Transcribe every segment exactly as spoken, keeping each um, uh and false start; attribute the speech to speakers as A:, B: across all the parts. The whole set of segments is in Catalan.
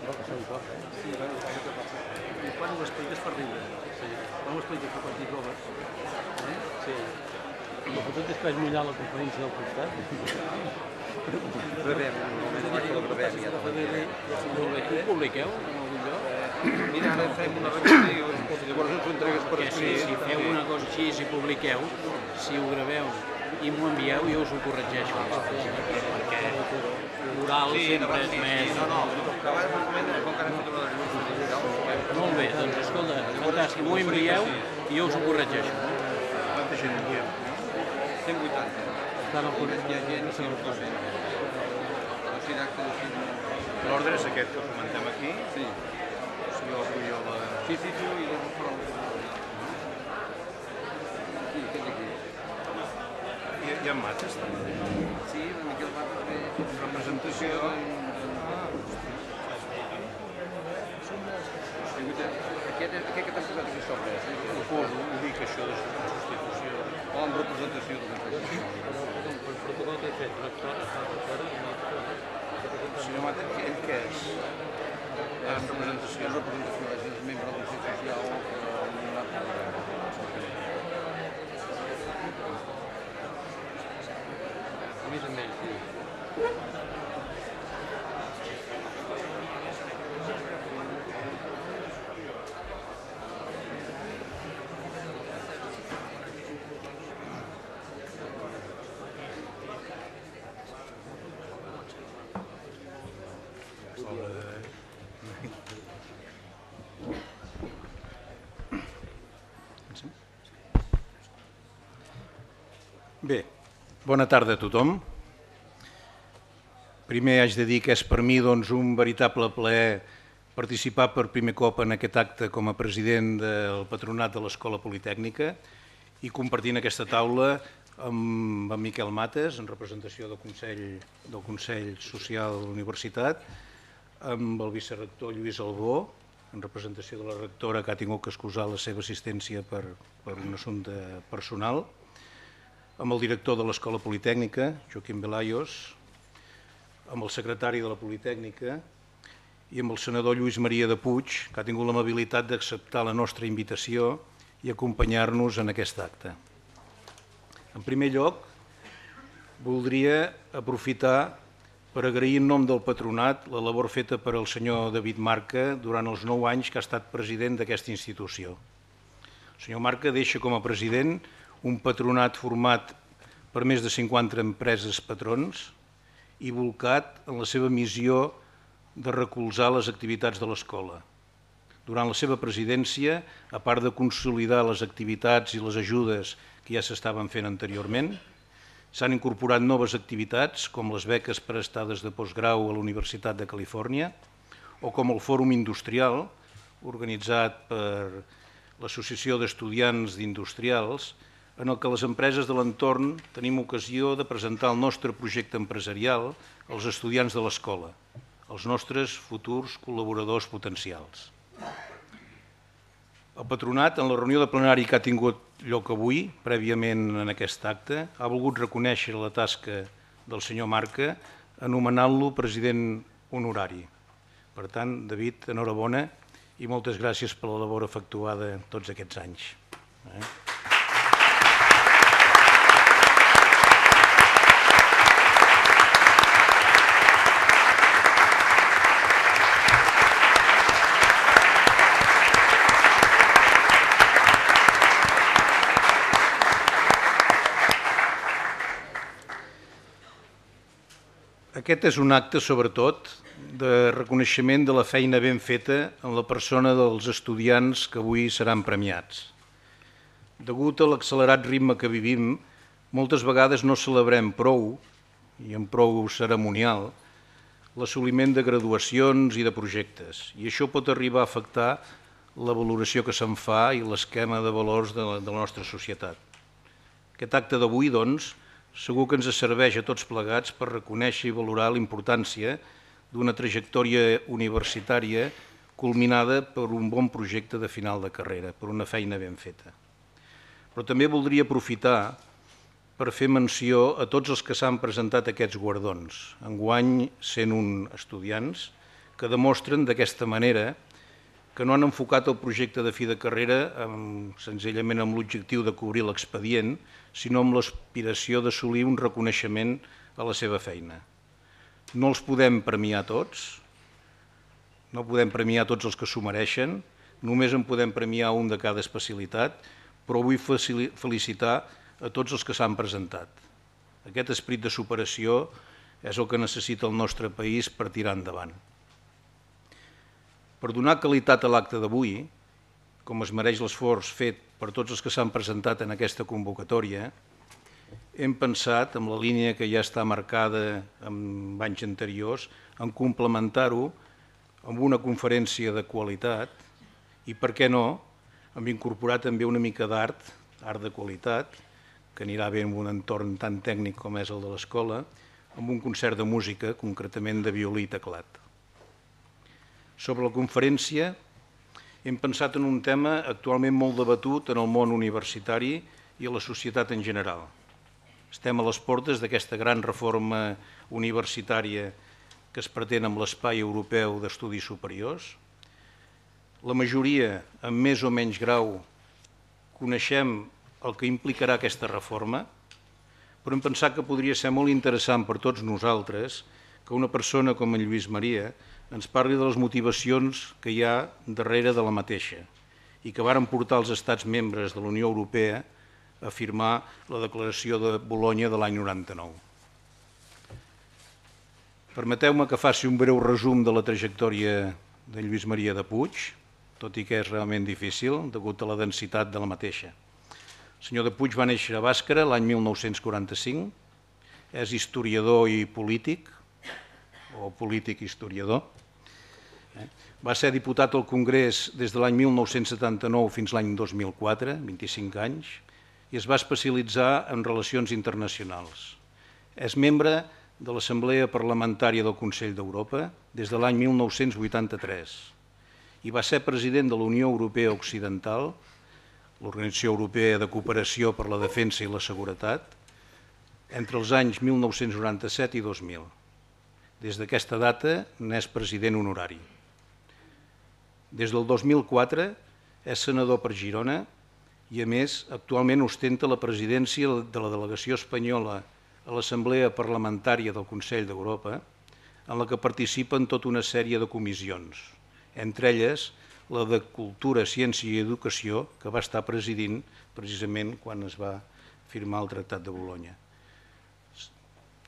A: Sí, bueno, i quan ho expliques per riure. Quan ho expliques per quan t'hi trobes.
B: Sí. El fotut és que vaig mullar la conferència del costat.
C: Rebem, normalment vaig per la rebem.
B: Ho publiqueu en algun lloc?
C: Mira, ara fem una revisió i llavors ens ho entregues per escrit.
B: Si feu una cosa així, si publiqueu, si ho graveu i m'ho envieu, jo us ho corregeixo. Perquè l'oral sempre és més...
C: No, no, que abans un moment, com que ara hem fet una revisió digital...
B: Molt bé, doncs escolta, fantàstic, m'ho envieu i jo us ho corregeixo.
C: Quanta gent enviem? cent vuitanta.
B: Estan al corrent.
C: Hi ha gent, sí, ho pot fer.
D: L'ordre és aquest que comentem aquí.
C: Sí.
D: Si jo vull jo la...
C: Sí, sí, sí, i llavors prou. Sí, aquest aquí.
D: Hi ha, hi ha mates, també.
C: Sí, una mica el mapa també.
D: Representació...
C: Aquest, aquest que t'has posat aquí sobre.
D: Ho poso, ho dic, això de substitució.
C: O en representació de l'entrega.
B: El protocol que he fet, rector, està per fora i no...
D: El senyor Mata, ell què és?
C: En representació. En representació, és membre de la Consello Social.
B: A més a més, sí.
D: Bé, bona tarda a tothom. Primer haig de dir que és per mi doncs, un veritable plaer participar per primer cop en aquest acte com a president del Patronat de l'Escola Politècnica i compartint aquesta taula amb en Miquel Mates, en representació del Consell, del Consell Social de la Universitat, amb el vicerector Lluís Albó, en representació de la rectora que ha tingut que excusar la seva assistència per, per un assumpte personal, amb el director de l'Escola Politècnica, Joaquim Velayos, amb el secretari de la Politècnica i amb el senador Lluís Maria de Puig, que ha tingut l'amabilitat d'acceptar la nostra invitació i acompanyar-nos en aquest acte. En primer lloc, voldria aprofitar per agrair en nom del Patronat la labor feta per el senyor David Marca durant els nou anys que ha estat president d'aquesta institució. El senyor Marca deixa com a president un patronat format per més de cinquanta empreses patrons i volcat en la seva missió de recolzar les activitats de l'escola. Durant la seva presidència, a part de consolidar les activitats i les ajudes que ja s'estaven fent anteriorment, s'han incorporat noves activitats com les beques per estades de postgrau a la Universitat de Califòrnia o com el Fòrum Industrial, organitzat per l'Associació d'Estudiants d'Industrials, en el que les empreses de l'entorn tenim ocasió de presentar el nostre projecte empresarial als estudiants de l'escola, els nostres futurs col·laboradors potencials. El Patronat, en la reunió de plenari que ha tingut lloc avui, prèviament en aquest acte, ha volgut reconèixer la tasca del senyor Marca anomenant-lo president honorari. Per tant, David, enhorabona i moltes gràcies per la labor efectuada tots aquests anys. Aquest és un acte, sobretot, de reconeixement de la feina ben feta en la persona dels estudiants que avui seran premiats. Degut a l'accelerat ritme que vivim, moltes vegades no celebrem prou, i amb prou cerimonial, l'assoliment de graduacions i de projectes, i això pot arribar a afectar la valoració que se'n fa i l'esquema de valors de la, de la nostra societat. Aquest acte d'avui, doncs, segur que ens serveix a tots plegats per reconèixer i valorar la importància d'una trajectòria universitària culminada per un bon projecte de final de carrera, per una feina ben feta. Però també voldria aprofitar per fer menció a tots els que s'han presentat aquests guardons, enguany cent un estudiants que demostren d'aquesta manera que no han enfocat el projecte de fi de carrera senzillament amb l'objectiu de cobrir l'expedient, sinó amb l'aspiració d'assolir un reconeixement a la seva feina. No els podem premiar tots, no podem premiar tots els que s'ho mereixen, només en podem premiar un de cada especialitat, però vull felicitar a tots els que s'han presentat. Aquest esperit de superació és el que necessita el nostre país per tirar endavant. Per donar qualitat a l'acte d'avui, com es mereix l'esforç fet per tots els que s'han presentat en aquesta convocatòria, hem pensat, en la línia que ja està marcada en anys anteriors, en complementar-ho amb una conferència de qualitat i, per què no, hem incorporat també una mica d'art, art de qualitat, que anirà bé en un entorn tan tècnic com és el de l'escola, amb un concert de música, concretament de violí i teclat. Sobre la conferència, hem pensat en un tema actualment molt debatut en el món universitari i a la societat en general. Estem a les portes d'aquesta gran reforma universitària que es pretén amb l'Espai Europeu d'Estudis Superiors. La majoria, en més o menys grau, coneixem el que implicarà aquesta reforma, però hem pensat que podria ser molt interessant per tots nosaltres que una persona com en Lluís Maria ens parli de les motivacions que hi ha darrere de la mateixa i que varen portar els estats membres de la Unió Europea a firmar la Declaració de Bolonya de l'any noranta-nou. Permeteu-me que faci un breu resum de la trajectòria de Lluís Maria de Puig, tot i que és realment difícil, degut a la densitat de la mateixa. El senyor de Puig va néixer a Bàscara l'any mil nou-cents quaranta-cinc, és historiador i polític, o polític historiador. Va ser diputat al Congrés des de l'any mil nou-cents setanta-nou fins l'any dos mil quatre, vint-i-cinc anys, i es va especialitzar en relacions internacionals. És membre de l'Assemblea Parlamentària del Consell d'Europa des de l'any mil nou-cents vuitanta-tres i va ser president de la Unió Europea Occidental, l'Organització Europea de Cooperació per la Defensa i la Seguretat, entre els anys mil nou-cents noranta-set i dos mil. Des d'aquesta data n'és president honorari. Des del dos mil quatre és senador per Girona i, a més, actualment ostenta la presidència de la delegació espanyola a l'Assemblea Parlamentària del Consell d'Europa, en la que participen tota una sèrie de comissions, entre elles la de Cultura, Ciència i Educació, que va estar presidint precisament quan es va firmar el Tractat de Bolonya.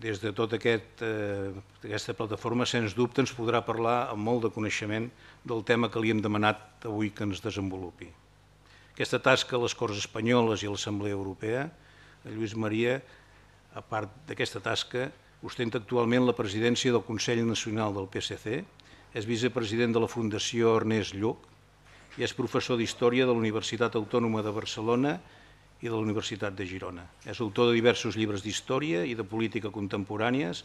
D: Des de tota aquest, eh, aquesta plataforma, sens dubte, ens podrà parlar amb molt de coneixement del tema que li hem demanat avui que ens desenvolupi. Aquesta tasca a les Corts Espanyoles i a l'Assemblea Europea, Lluís Maria, a part d'aquesta tasca, ostenta actualment la presidència del Consell Nacional del P S C, és vicepresident de la Fundació Ernest Lluch i és professor d'Història de la Universitat Autònoma de Barcelona i de la Universitat de Girona. És autor de diversos llibres d'història i de política contemporànies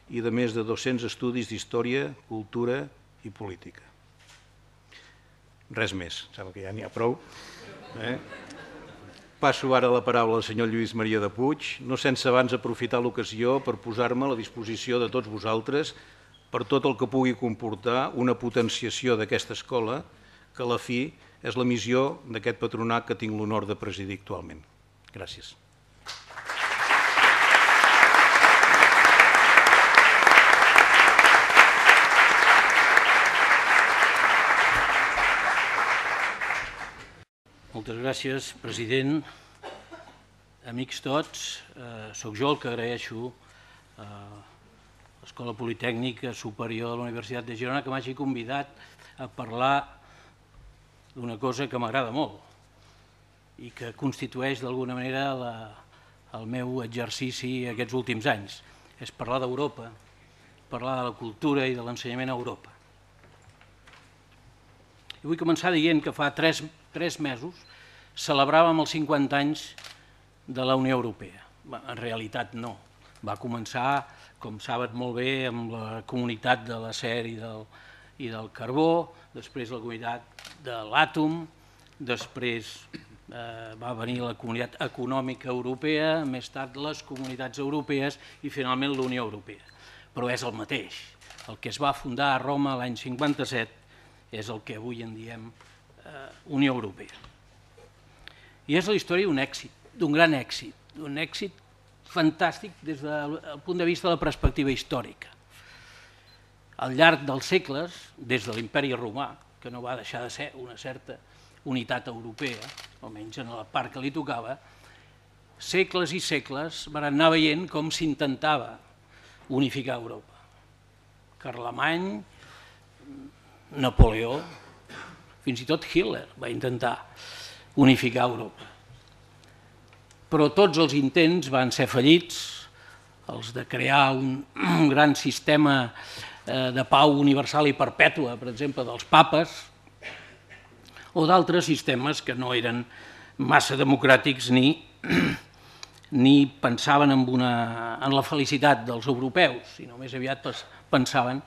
D: i de més de dos-cents estudis d'història, cultura i política. Res més, sembla que ja n'hi ha prou. Passo ara la paraula al senyor Lluís Maria de Puig, no sense abans aprofitar l'ocasió per posar-me a la disposició de tots vosaltres per tot el que pugui comportar una potenciació d'aquesta escola, que a la fi és la missió d'aquest patronat que tinc l'honor de presidir actualment. Gràcies.
B: Moltes gràcies, president. Amics tots, soc jo el que agraeixo a l'Escola Politècnica Superior de la Universitat de Girona que m'hagi convidat a parlar d'una cosa que m'agrada molt i que constitueix d'alguna manera el meu exercici aquests últims anys. És parlar d'Europa, parlar de la cultura i de l'ensenyament a Europa. I vull començar dient que fa tres mesos celebràvem els cinquanta anys de la Unió Europea. En realitat no. Va començar, com saben molt bé, amb la comunitat de l'acer i del carbó, després la comunitat de l'àtom, després va venir la Comunitat Econòmica Europea, més tard les Comunitats Europees i finalment la Unió Europea. Però és el mateix. el que es va fundar a Roma l'any cinquanta-set, és el que avui en diem Unió Europea. I és la història d'un èxit, d'un gran èxit, d'un èxit fantàstic des del punt de vista de la perspectiva històrica. Al llarg dels segles, des de l'imperi romà, que no va deixar de ser una certa unitat europea, almenys en la part que li tocava, segles i segles van anar veient com s'intentava unificar Europa. Carlemany, Napoleó, fins i tot Hitler va intentar unificar Europa. Però tots els intents van ser fallits, els de crear un gran sistema de pau universal i perpètua, per exemple, dels papes, o d'altres sistemes que no eren massa democràtics ni ni pensaven en la felicitat dels europeus, sinó més aviat pensaven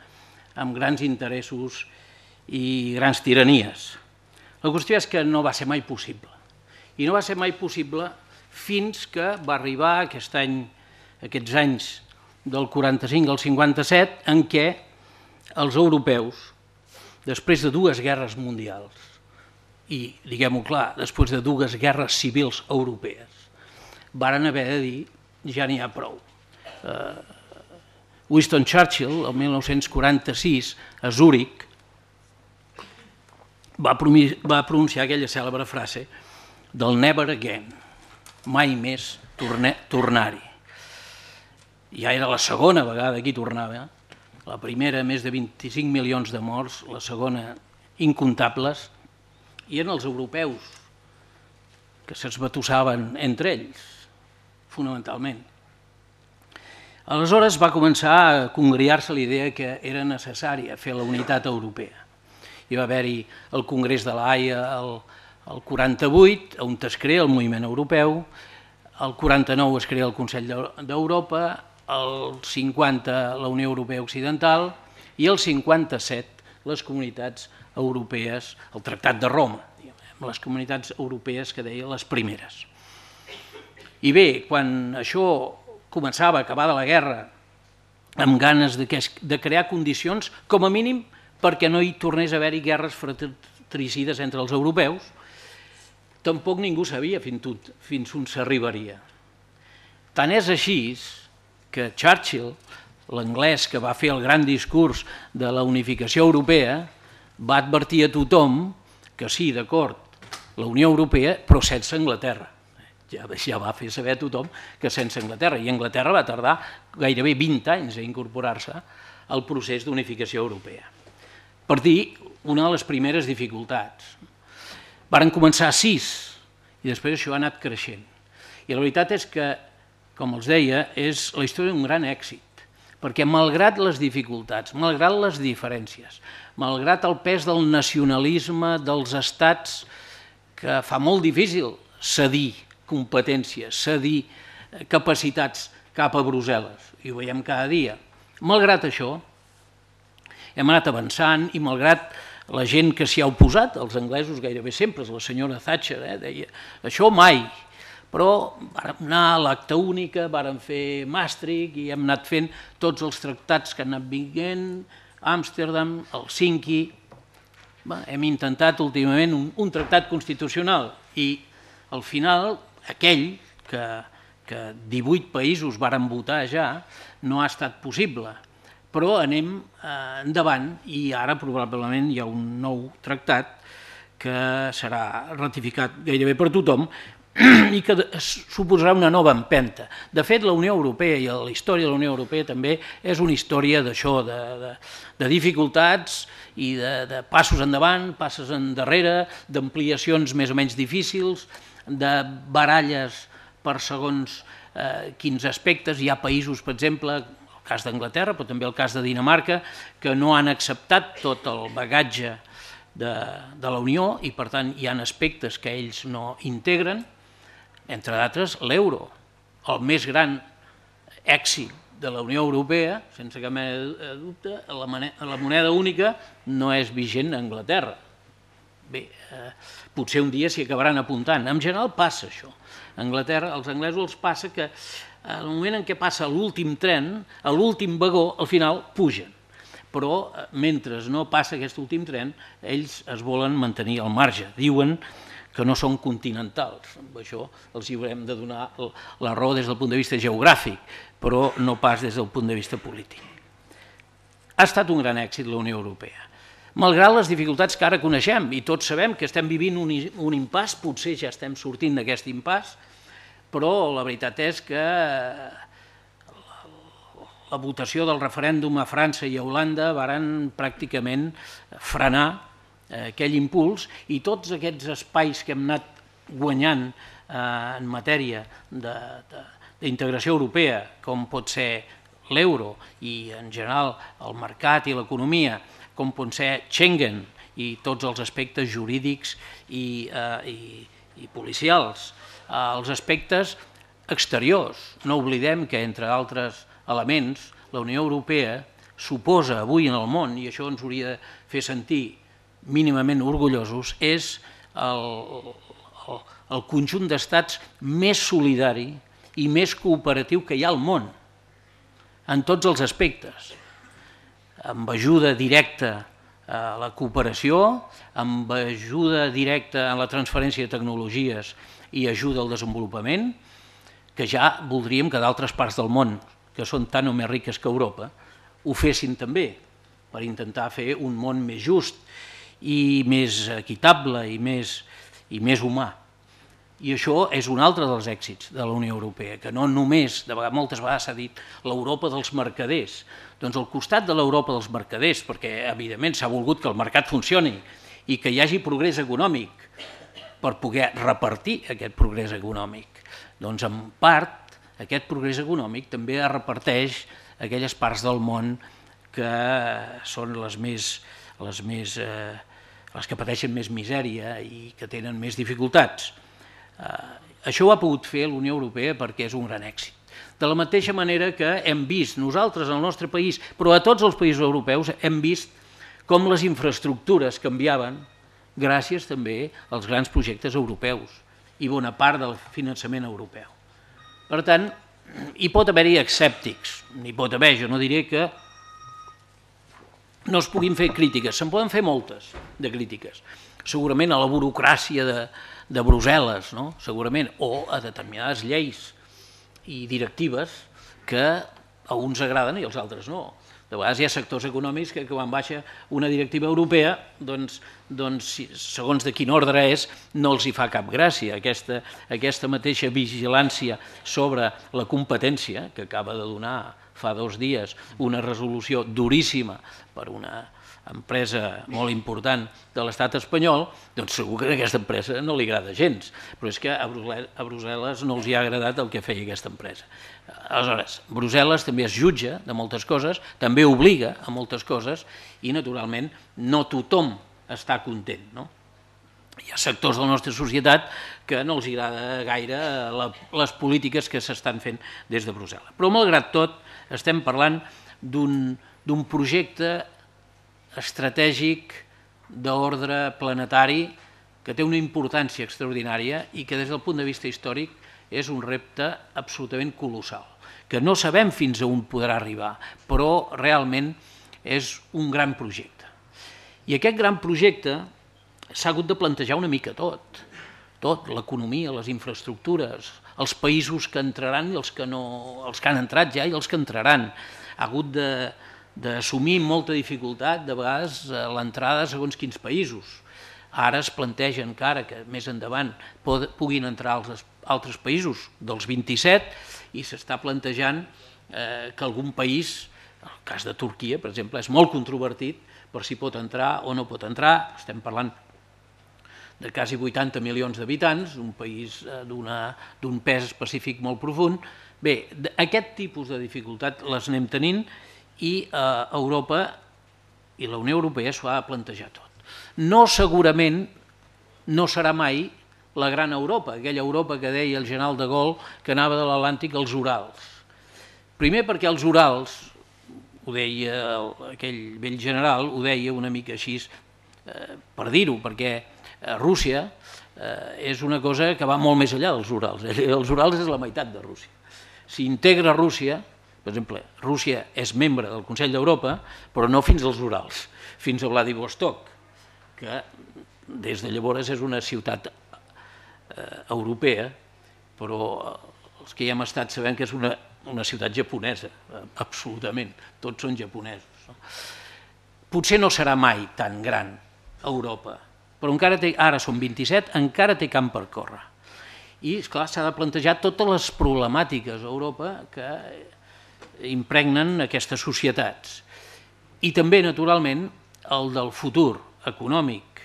B: en grans interessos i grans tiranies. La qüestió és que no va ser mai possible. I no va ser mai possible fins que va arribar aquest any, aquests anys del quaranta-cinc al cinquanta-set, en què els europeus, després de dues guerres mundials, i, diguem-ho clar, després de dues guerres civils europees, varen haver de dir, ja n'hi ha prou. Winston Churchill, el mil nou-cents quaranta-sis, a Zúrich, va pronunciar aquella cèlebre frase del never again, mai més tornar-hi. Ja era la segona vegada que hi tornava, la primera més de vint-i-cinc milions de morts, la segona incomptables, i eren els europeus que s'esbatussaven entre ells, fonamentalment. Aleshores va començar a congriar-se la idea que era necessària fer la unitat europea. Hi va haver-hi el Congrés de la Haia el quaranta-vuit, on es crea el moviment europeu, el quaranta-nou es crea el Consell d'Europa, el cinquanta la Unió Europea Occidental i el cinquanta-set les comunitats europees, el Tractat de Roma, les comunitats europees que deia les primeres. I bé, quan això començava a acabar de la guerra amb ganes de crear condicions, com a mínim perquè no hi tornés a haver-hi guerres fratricides entre els europeus, tampoc ningú sabia fins on s'arribaria. Tant és així que Churchill, l'anglès que va fer el gran discurs de la unificació europea, va advertir a tothom que sí, d'acord, la Unió Europea, però sense Anglaterra. Ja va fer saber a tothom que sense Anglaterra, i Anglaterra va tardar gairebé vint anys a incorporar-se al procés d'unificació europea. Per dir una de les primeres dificultats. Varen començar a sis, i després això ha anat creixent. I la veritat és que, com els deia, és la història d'un gran èxit, perquè malgrat les dificultats, malgrat les diferències, malgrat el pes del nacionalisme dels estats que fa molt difícil cedir competències, cedir capacitats cap a Brussel·les, i ho veiem cada dia. Malgrat això, hem anat avançant i malgrat la gent que s'hi ha oposat, els anglesos gairebé sempre, la senyora Thatcher deia això mai, però vàrem anar a l'acta única, vàrem fer Maastricht i hem anat fent tots els tractats que han anat vinguent, Amsterdam, Helsinki. Hem intentat últimament un tractat constitucional i al final aquell que divuit països varen votar ja no ha estat possible, però anem endavant i ara probablement hi ha un nou tractat que serà ratificat gairebé per tothom i que suposarà una nova empenta. De fet, la Unió Europea i la història de la Unió Europea també és una història d'això, de dificultats i de passos endavant, passos endarrere, d'ampliacions més o menys difícils, de baralles per segons quins aspectes. Hi ha països, per exemple, el cas d'Anglaterra, però també el cas de Dinamarca, que no han acceptat tot el bagatge de la Unió i, per tant, hi ha aspectes que ells no integren, entre d'altres l'euro, el més gran èxit de la Unió Europea, sense cap mena de dubte, la moneda única no és vigent a Anglaterra. Bé, potser un dia s'hi acabaran apuntant. En general passa això. A Anglaterra, als anglesos els passa que al moment en què passa l'últim tren, a l'últim vagó, al final pugen. però mentre no passa aquest últim tren, ells es volen mantenir al marge. Diuen que no són continentals. Amb això els hi haurem de donar la raó des del punt de vista geogràfic, però no pas des del punt de vista polític. Ha estat un gran èxit la Unió Europea. Malgrat les dificultats que ara coneixem, i tots sabem que estem vivint un impàs, potser ja estem sortint d'aquest impàs, però la veritat és que la votació del referèndum a França i a Holanda varen pràcticament frenar aquell impuls, i tots aquests espais que hem anat guanyant en matèria d'integració europea, com pot ser l'euro i en general el mercat i l'economia, com pot ser Schengen i tots els aspectes jurídics i, eh, i, i policials, eh, els aspectes exteriors. No oblidem que, entre altres elements, la Unió Europea suposa avui en el món, i això ens hauria de fer sentir mínimament orgullosos, és el, el, el conjunt d'estats més solidari i més cooperatiu que hi ha al món, en tots els aspectes, amb ajuda directa a la cooperació, amb ajuda directa a la transferència de tecnologies i ajuda al desenvolupament, que ja voldríem que d'altres parts del món, que són tan o més riques que Europa, ho fessin també, per intentar fer un món més just i més equitable i més, i més humà. I això és un altre dels èxits de la Unió Europea, que no només, de vegades, moltes vegades s'ha dit l'Europa dels mercaders. Doncs al costat de l'Europa dels mercaders, perquè evidentment s'ha volgut que el mercat funcioni i que hi hagi progrés econòmic per poder repartir aquest progrés econòmic, doncs en part aquest progrés econòmic també es reparteix a aquelles parts del món que són les més, les més, eh, les que pateixen més misèria i que tenen més dificultats. Eh, això ho ha pogut fer la Unió Europea perquè és un gran èxit. De la mateixa manera que hem vist nosaltres al nostre país, però a tots els països europeus, hem vist com les infraestructures canviaven gràcies també als grans projectes europeus i bona part del finançament europeu. Per tant, hi pot haver-hi escèptics, n'hi pot haver, jo no diré que no es puguin fer crítiques, se'n poden fer moltes de crítiques, segurament a la burocràcia de, de Brussel·les, no? Segurament, o a determinades lleis i directives que a uns agraden i als altres no. De vegades hi ha sectors econòmics que quan baixa una directiva europea, doncs, doncs segons de quin ordre és, no els hi fa cap gràcia. Aquesta, aquesta mateixa vigilància sobre la competència, que acaba de donar fa dos dies una resolució duríssima per una empresa molt important de l'estat espanyol, doncs segur que a aquesta empresa no li agrada gens, però és que a Brussel·les no els hi ha agradat el que feia aquesta empresa. Aleshores, Brussel·les també es jutja de moltes coses, també obliga a moltes coses i, naturalment, no tothom està content, no? Hi ha sectors de la nostra societat que no els agrada gaire les polítiques que s'estan fent des de Brussel·les. Però, malgrat tot, estem parlant d'un projecte estratègic d'ordre planetari que té una importància extraordinària i que des del punt de vista històric és un repte absolutament colossal, que no sabem fins a on podrà arribar, però realment és un gran projecte. I aquest gran projecte s'ha hagut de plantejar una mica tot, tot, l'economia, les infraestructures, els països que entraran i els que, no, els que han entrat ja i els que entraran. Ha hagut de d'assumir amb molta dificultat, de vegades, l'entrada segons quins països. Ara es planteja encara que més endavant puguin entrar els altres països dels vint-i-set i s'està plantejant que algun país, el cas de Turquia, per exemple, és molt controvertit per si pot entrar o no pot entrar. Estem parlant de quasi vuitanta milions d'habitants, un país d'un pes específic molt profund. Bé, aquest tipus de dificultat les anem tenint i Europa i la Unió Europea s'ho ha de plantejar tot. No segurament no serà mai la gran Europa, aquella Europa que deia el general de Gaulle que anava de l'Atlàntic als Urals. Primer perquè els Urals, ho deia aquell vell general, ho deia una mica així per dir-ho, perquè Rússia és una cosa que va molt més enllà dels Urals. Els Urals és la meitat de Rússia. Si integra Rússia, Per exemple, Rússia és membre del Consell d'Europa, però no fins als Urals, fins a Vladivostok, que des de llavors és una ciutat europea, però els que hi hem estat sabem que és una, una ciutat japonesa, absolutament, tots són japonesos. No? Potser no serà mai tan gran Europa, però encara té, ara són vint-i-set, encara té camp per córrer. I, esclar, s'ha de plantejar totes les problemàtiques a Europa que impregnen aquestes societats. I també, naturalment, el del futur econòmic,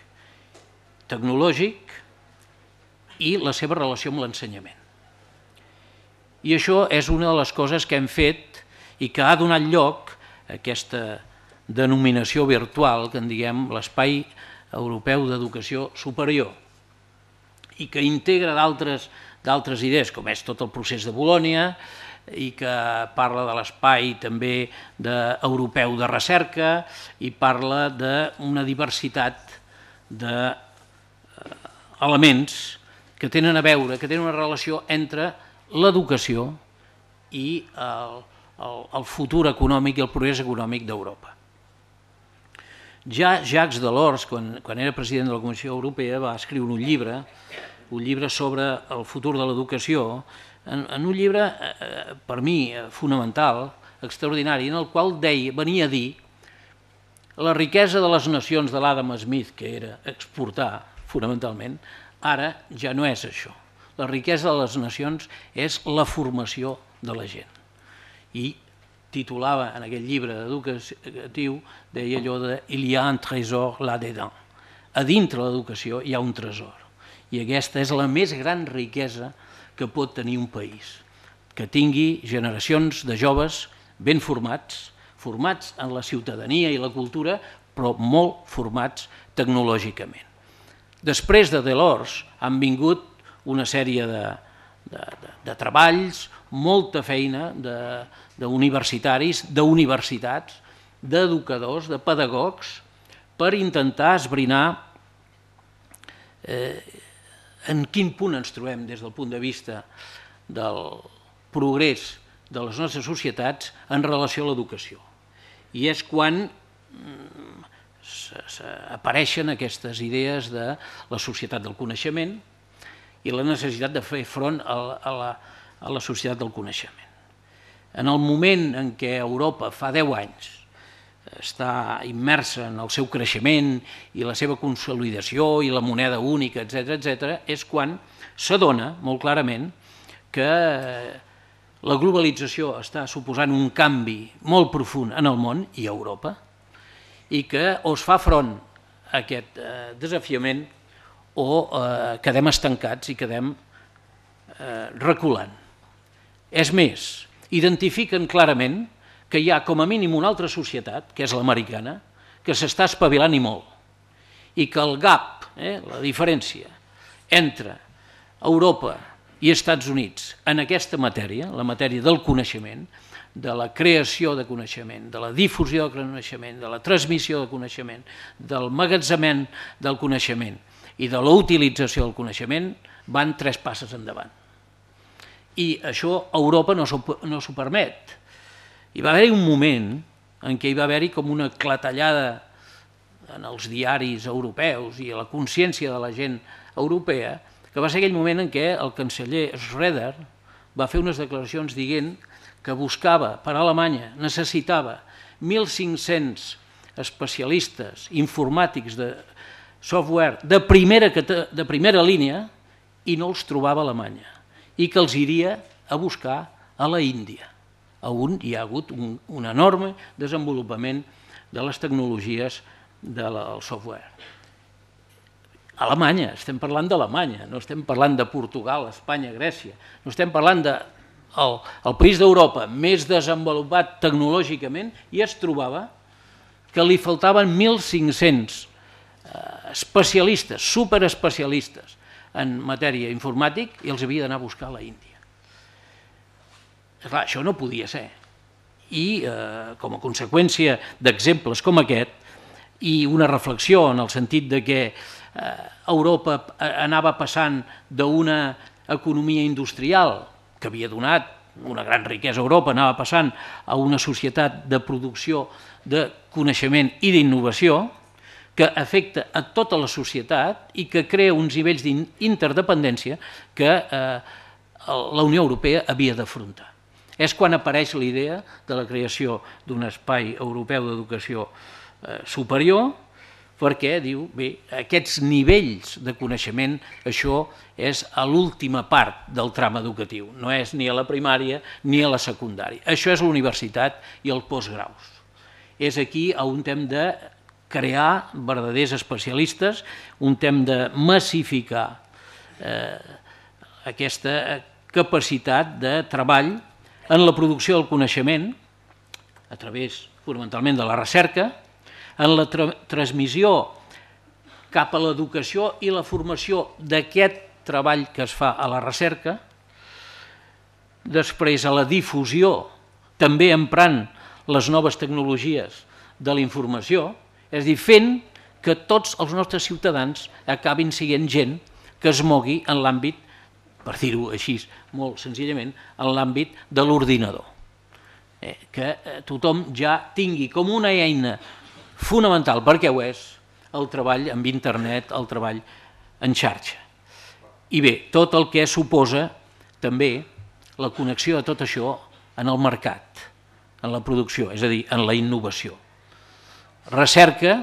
B: tecnològic i la seva relació amb l'ensenyament. I això és una de les coses que hem fet i que ha donat lloc a aquesta denominació virtual que en diguem l'Espai Europeu d'Educació Superior i que integra d'altres idees, com és tot el procés de Bolònia i que parla de l'espai també europeu de recerca i parla d'una diversitat d'elements que tenen a veure, que tenen una relació entre l'educació i el, el, el futur econòmic i el progrés econòmic d'Europa. Ja Jacques Delors, quan, quan era president de la Comissió Europea, va escriure un llibre, un llibre sobre el futur de l'educació, en, en un llibre, eh, per mi, fonamental, extraordinari, en el qual deia, venia a dir la riquesa de les nacions de l'Adam Smith, que era exportar, fonamentalment, ara ja no és això. La riquesa de les nacions és la formació de la gent. I titulava en aquell llibre educatiu, deia allò de « Il y a un trésor là-dedans». A dintre l'educació hi ha un tresor. I aquesta és la més gran riquesa que pot tenir un país. Que tingui generacions de joves ben formats, formats en la ciutadania i la cultura, però molt formats tecnològicament. Després de Delors han vingut una sèrie de, de, de, de treballs, molta feina d'universitaris, d'universitats, d'educadors, de pedagogs, per intentar esbrinar eh, en quin punt ens trobem des del punt de vista del progrés de les nostres societats en relació a l'educació. I és quan apareixen aquestes idees de la societat del coneixement i la necessitat de fer front a la, a la societat del coneixement. En el moment en què Europa fa deu anys està immersa en el seu creixement i la seva consolidació i la moneda única, etcètera, etcètera, és quan s'adona molt clarament que la globalització està suposant un canvi molt profund en el món i a Europa i que o es fa front a aquest desafiament o quedem estancats i quedem reculant. És més, identifiquen clarament que hi ha com a mínim una altra societat, que és l'americana, que s'està espavilant i molt, i que el gap, eh, la diferència entre Europa i Estats Units en aquesta matèria, la matèria del coneixement, de la creació de coneixement, de la difusió de coneixement, de la transmissió de coneixement, del magatzemament del coneixement i de la utilització del coneixement, van tres passes endavant. I això Europa no s'ho permet. Hi va haver un moment en què hi va haver-hi com una clatellada en els diaris europeus i a la consciència de la gent europea, que va ser aquell moment en què el canceller Schröder va fer unes declaracions dient que buscava per a Alemanya, necessitava mil cinc-cents especialistes informàtics de software de primera, de primera línia i no els trobava a Alemanya i que els iria a buscar a la Índia, on hi ha hagut un, un enorme desenvolupament de les tecnologies del software. Alemanya, estem parlant d'Alemanya, no estem parlant de Portugal, Espanya, Grècia, no estem parlant del el país d'Europa més desenvolupat tecnològicament i es trobava que li faltaven mil cinc-cents especialistes, superespecialistes en matèria informàtica i els havia d'anar a buscar a la Índia. Clar, això no podia ser. I eh, com a conseqüència d'exemples com aquest i una reflexió en el sentit de que eh, Europa anava passant d'una economia industrial que havia donat una gran riquesa a Europa, anava passant a una societat de producció de coneixement i d'innovació que afecta a tota la societat i que crea uns nivells d'interdependència que eh, la Unió Europea havia d'afrontar. És quan apareix la idea de la creació d'un espai europeu d'educació eh, superior, perquè diu, bé, aquests nivells de coneixement, això és a l'última part del tram educatiu, no és ni a la primària ni a la secundària. Això és la universitat i el postgraus. És aquí on hem de crear verdaders especialistes, on hem de massificar eh, aquesta capacitat de treball en la producció del coneixement, a través fonamentalment de la recerca, en la tra transmissió cap a l'educació i la formació d'aquest treball que es fa a la recerca, després a la difusió, també emprant les noves tecnologies de la informació, és a dir, fent que tots els nostres ciutadans acabin sent gent que es mogui en l'àmbit, per dir-ho així molt senzillament, en l'àmbit de l'ordinador. Eh, que tothom ja tingui com una eina fonamental, perquè ho és, el treball amb internet, el treball en xarxa. I bé, tot el que suposa també la connexió de tot això en el mercat, en la producció, és a dir, en la innovació. Recerca,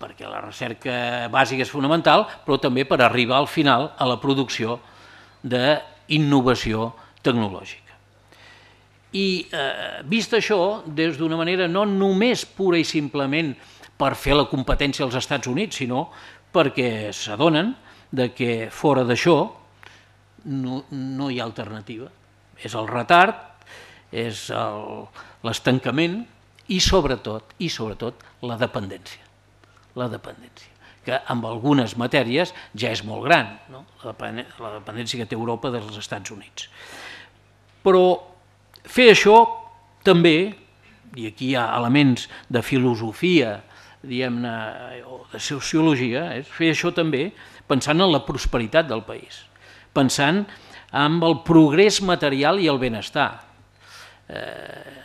B: perquè la recerca bàsica és fonamental, però també per arribar al final a la producció d'innovació tecnològica. I eh, vist això, des d'una manera no només pura i simplement per fer la competència als Estats Units, sinó perquè s'adonen que fora d'això no, no hi ha alternativa. És el retard, és l'estancament i sobretot, i sobretot la dependència. La dependència, que amb algunes matèries ja és molt gran, no? La dependència que té Europa dels Estats Units. Però fer això també, i aquí hi ha elements de filosofia, diguem-ne, o de sociologia, és fer això també pensant en la prosperitat del país, pensant en el progrés material i el benestar. Eh,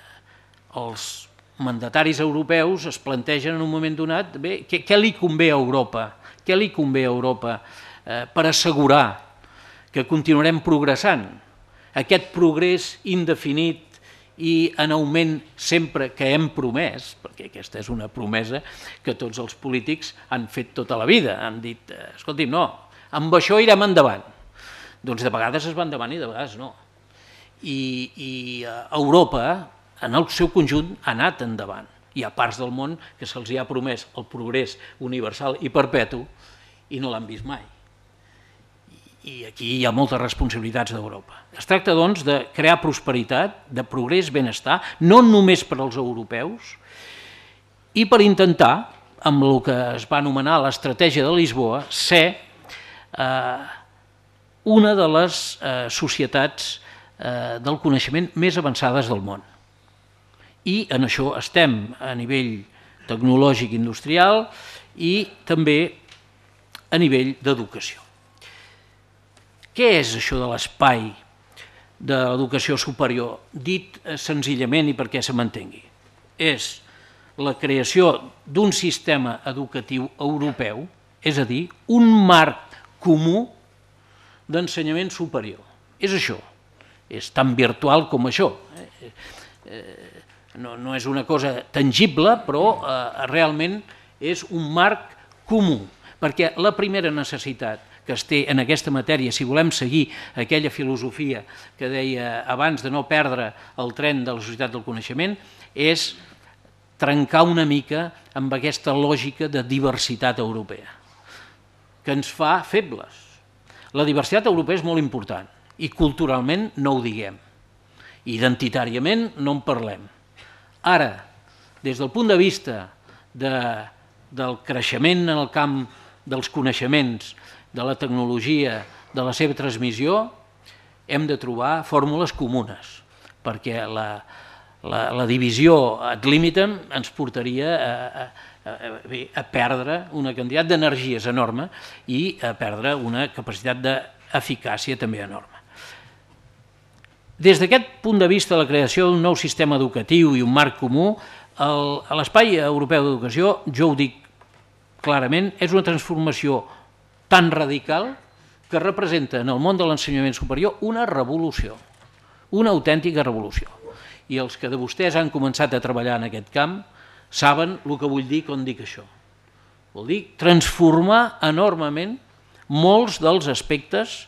B: els mandataris europeus es plantegen en un moment donat, bé, què, què li convé a Europa? Què li convé a Europa eh, per assegurar que continuarem progressant? Aquest progrés indefinit i en augment sempre que hem promès, perquè aquesta és una promesa que tots els polítics han fet tota la vida, han dit, escolti'm, no, amb això irem endavant. Doncs de vegades es va endavant i de vegades no. I, i Europa, en el seu conjunt, ha anat endavant. Hi ha parts del món que se'ls ha promès el progrés universal i perpetu i no l'han vist mai. I aquí hi ha moltes responsabilitats d'Europa. Es tracta, doncs, de crear prosperitat, de progrés, benestar, no només per als europeus, i per intentar, amb el que es va anomenar l'estratègia de Lisboa, ser eh, una de les eh, societats eh, del coneixement més avançades del món. I en això estem a nivell tecnològic industrial i també a nivell d'educació. Què és això de l'espai de l'educació superior? Dit senzillament i perquè se m'entengui. És la creació d'un sistema educatiu europeu, és a dir, un marc comú d'ensenyament superior. És això. És tan virtual com això. No, no és una cosa tangible, però eh, realment és un marc comú, perquè la primera necessitat que es té en aquesta matèria, si volem seguir aquella filosofia que deia abans de no perdre el tren de la societat del coneixement, és trencar una mica amb aquesta lògica de diversitat europea, que ens fa febles. La diversitat europea és molt important i culturalment no ho diguem, identitàriament no en parlem. Ara, des del punt de vista de, del creixement en el camp dels coneixements, de la tecnologia, de la seva transmissió, hem de trobar fórmules comunes, perquè la, la, la divisió ad limitem ens portaria a, a, a, a perdre una quantitat d'energies enorme i a perdre una capacitat d'eficàcia també enorme. Des d'aquest punt de vista, la creació d'un nou sistema educatiu i un marc comú, a l'Espai Europeu d'Educació, jo ho dic clarament, és una transformació tan radical que representa en el món de l'ensenyament superior una revolució, una autèntica revolució. I els que de vostès han començat a treballar en aquest camp saben el que vull dir quan dic això. Vol dir transformar enormement molts dels aspectes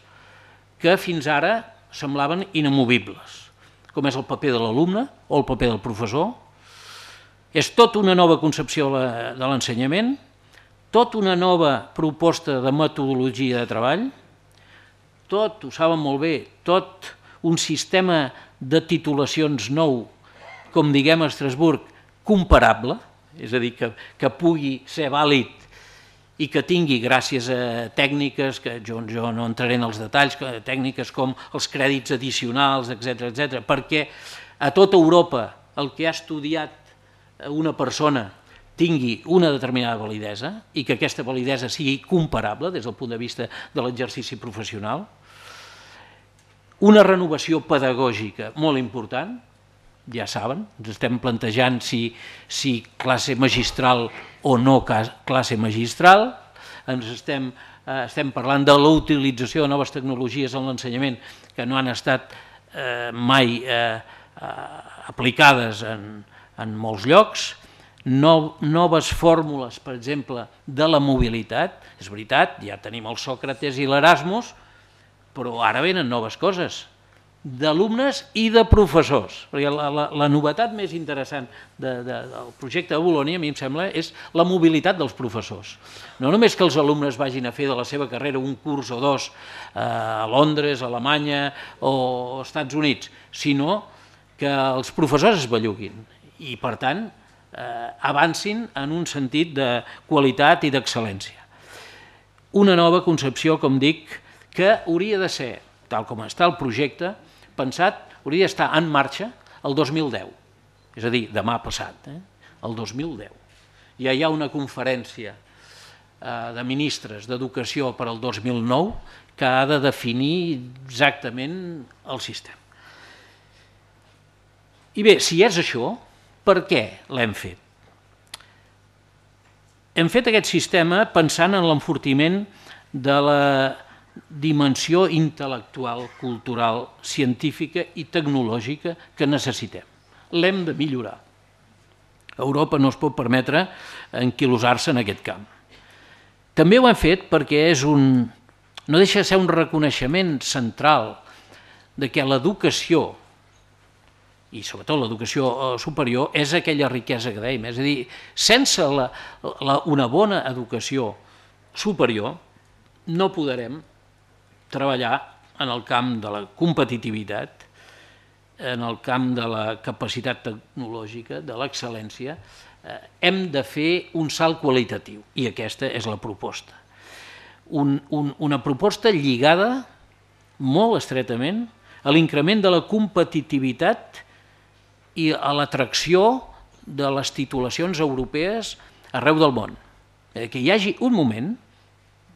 B: que fins ara semblaven inamovibles, com és el paper de l'alumne o el paper del professor. És tota una nova concepció de l'ensenyament, tota una nova proposta de metodologia de treball, tot, ho saben molt bé, tot un sistema de titulacions nou, com diguem a Estrasburg, comparable, és a dir, que, que pugui ser vàlid i que tingui, gràcies a tècniques, que jo, jo no entraré en els detalls, tècniques com els crèdits addicionals, etcètera, etcètera, perquè a tota Europa el que ha estudiat una persona tingui una determinada validesa i que aquesta validesa sigui comparable des del punt de vista de l'exercici professional. Una renovació pedagògica molt important, ja saben, ens estem plantejant si, si classe magistral o no classe magistral, ens estem, eh, estem parlant de la utilització de noves tecnologies en l'ensenyament que no han estat eh, mai eh, aplicades en, en molts llocs, no, noves fórmules, per exemple, de la mobilitat. És veritat, ja tenim el Sòcrates i l'Erasmus, però ara venen noves coses, d'alumnes i de professors. Perquè la, la, la novetat més interessant de, de, del projecte de Bolonya, a mi em sembla, és la mobilitat dels professors. No només que els alumnes vagin a fer de la seva carrera un curs o dos a Londres, a Alemanya o als Estats Units, sinó que els professors es belluguin i, per tant, eh, avancin en un sentit de qualitat i d'excel·lència. Una nova concepció, com dic, que hauria de ser, tal com està el projecte, pensat, hauria d'estar en marxa el dos mil deu, és a dir, demà passat, eh? el dos mil deu. Ja hi ha una conferència eh, de ministres d'Educació per al dos mil nou que ha de definir exactament el sistema. I bé, si és això, per què l'hem fet? Hem fet aquest sistema pensant en l'enfortiment de la dimensió intel·lectual, cultural, científica i tecnològica que necessitem. L'hem de millorar. Europa no es pot permetre enquilosar-se en aquest camp. També ho hem fet perquè és un, no deixa de ser un reconeixement central de que l'educació, i sobretot l'educació superior, és aquella riquesa que dèiem. És a dir, sense la, la, una bona educació superior no podrem treballar en el camp de la competitivitat, en el camp de la capacitat tecnològica, de l'excel·lència. Eh, hem de fer un salt qualitatiu i aquesta és la proposta. Un, un, una proposta lligada molt estretament a l'increment de la competitivitat i a l'atracció de les titulacions europees arreu del món. Eh, que hi hagi un moment,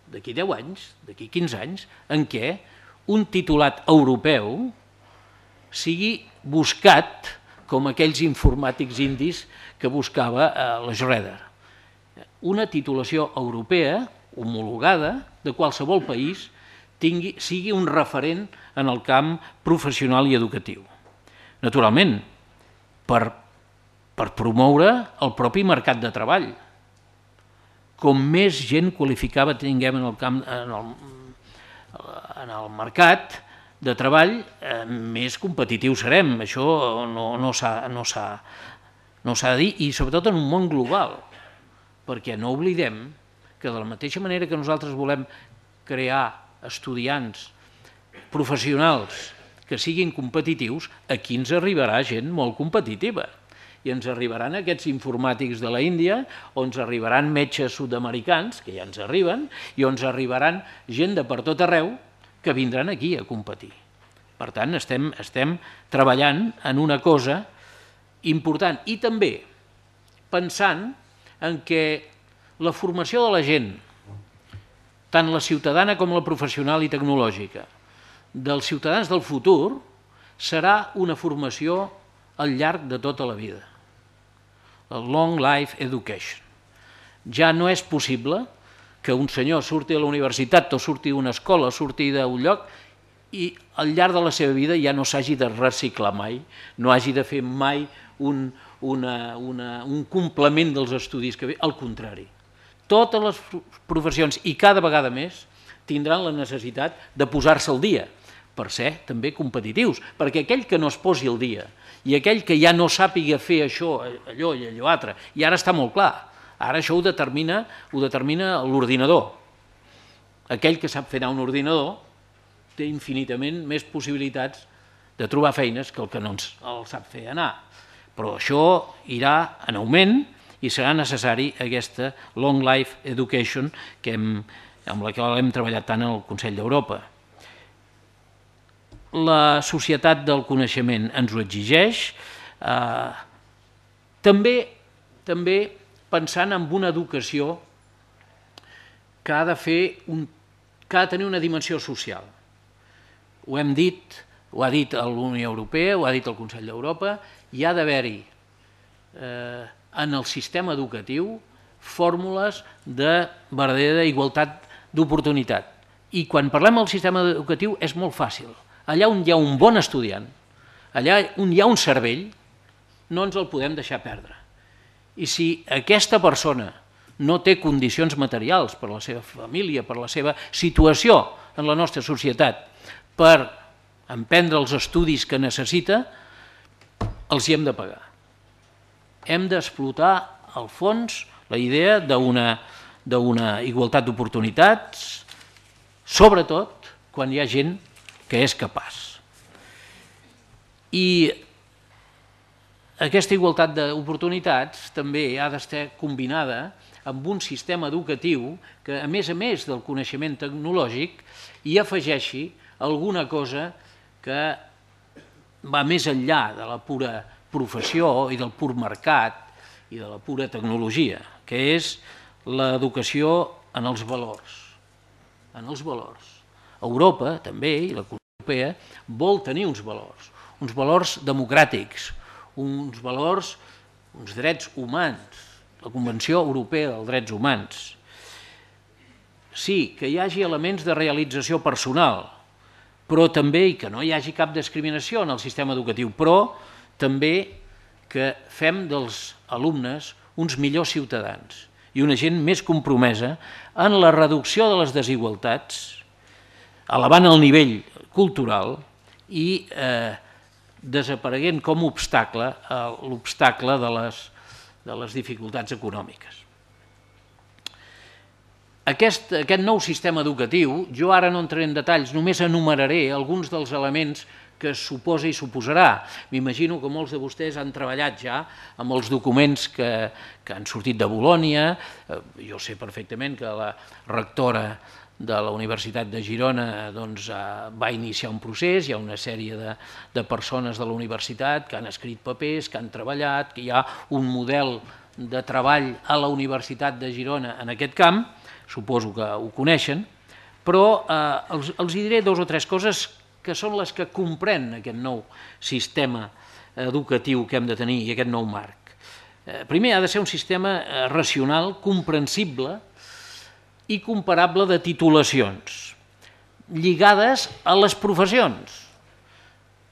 B: d'aquí deu anys, d'aquí quinze anys, en què un titulat europeu sigui buscat com aquells informàtics indis que buscava la Schroeder. Una titulació europea, homologada, de qualsevol país, tingui, sigui un referent en el camp professional i educatiu. Naturalment, per, per promoure el propi mercat de treball. Com més gent qualificada tinguem en el, camp, en el, en el mercat de treball, eh, més competitius serem. Això no, no s'ha no no de dir, i sobretot en un món global, perquè no oblidem que de la mateixa manera que nosaltres volem crear estudiants professionals que siguin competitius, aquí ens arribarà gent molt competitiva. I ens arribaran aquests informàtics de la Índia, o ens arribaran metges sud-americans, que ja ens arriben, i ens arribaran gent de per tot arreu que vindran aquí a competir. Per tant, estem, estem treballant en una cosa important i també pensant en què la formació de la gent, tant la ciutadana com la professional i tecnològica, dels ciutadans del futur, serà una formació al llarg de tota la vida. El Long Life Education. Ja no és possible que un senyor surti de la universitat o surti d'una escola o surti d'un lloc i al llarg de la seva vida ja no s'hagi de reciclar mai, no hagi de fer mai un, una, una, un complement dels estudis que ve, al contrari. Totes les professions, i cada vegada més, tindran la necessitat de posar-se al dia, per ser també competitius, perquè aquell que no es posi al dia i aquell que ja no sàpiga fer això, allò i allò altre, i ara està molt clar, ara això ho determina, ho determina l'ordinador. Aquell que sap fer anar un ordinador té infinitament més possibilitats de trobar feines que el que no el sap fer anar. Però això irà en augment i serà necessari aquesta Long Life Education que hem, amb la qual hem treballat tant al Consell d'Europa. La societat del coneixement ens ho exigeix, eh, també, també pensant en una educació que ha de fer un, que ha de tenir una dimensió social. Ho hem dit, ho ha dit la Unió Europea, ho ha dit el Consell d'Europa, hi ha d'haver-hi eh, en el sistema educatiu fórmules de verdadera igualtat d'oportunitat. I quan parlem del sistema educatiu és molt fàcil. Allà on hi ha un bon estudiant, allà on hi ha un cervell, no ens el podem deixar perdre. I si aquesta persona no té condicions materials per la seva família, per la seva situació en la nostra societat, per emprendre els estudis que necessita, els hi hem de pagar. Hem d'explotar al fons la idea d'una igualtat d'oportunitats, sobretot quan hi ha gent que és capaç. I aquesta igualtat d'oportunitats també ha d'estar combinada amb un sistema educatiu que, a més a més del coneixement tecnològic, hi afegeixi alguna cosa que va més enllà de la pura professió i del pur mercat i de la pura tecnologia, que és l'educació en els valors. En els valors. Europa, també, i la Comunitat Europea, vol tenir uns valors, uns valors democràtics, uns valors, uns drets humans, la Convenció Europea dels Drets Humans. Sí, que hi hagi elements de realització personal, però també que no hi hagi cap discriminació en el sistema educatiu, però també que fem dels alumnes uns millors ciutadans i una gent més compromesa en la reducció de les desigualtats, elevant el nivell cultural i eh, desapareguent com a obstacle l'obstacle de les, de les dificultats econòmiques. Aquest, aquest nou sistema educatiu, jo ara no entraré en detalls, només enumeraré alguns dels elements que suposa i suposarà. M'imagino que molts de vostès han treballat ja amb els documents que, que han sortit de Bolònia. Jo sé perfectament que la rectora de la Universitat de Girona doncs, va iniciar un procés, hi ha una sèrie de, de persones de la universitat que han escrit papers, que han treballat, que hi ha un model de treball a la Universitat de Girona en aquest camp, suposo que ho coneixen, però eh, els, els diré dues o tres coses que són les que comprèn aquest nou sistema educatiu que hem de tenir i aquest nou marc. Eh, primer, ha de ser un sistema racional, comprensible i comparable de titulacions, lligades a les professions.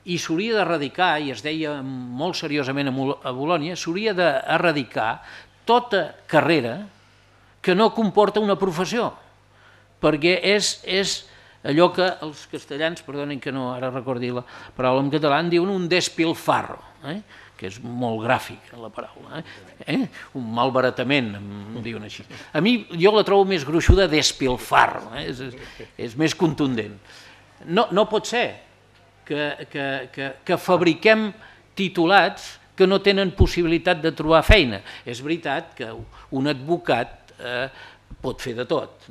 B: I s'hauria d'erradicar, i es deia molt seriosament a Bolònia, s'hauria d'erradicar tota carrera que no comporta una professió, perquè és, és allò que els castellans, perdonin que no ara recordi la paraula en català, en diuen un despilfarro, eh? que és molt gràfic la paraula, eh? un malbaratament, em diuen així. A mi jo la trobo més gruixuda despilfarro, eh? és, és, és més contundent. No, no pot ser que, que, que, que fabriquem titulats que no tenen possibilitat de trobar feina. És veritat que un advocat eh, pot fer de tot.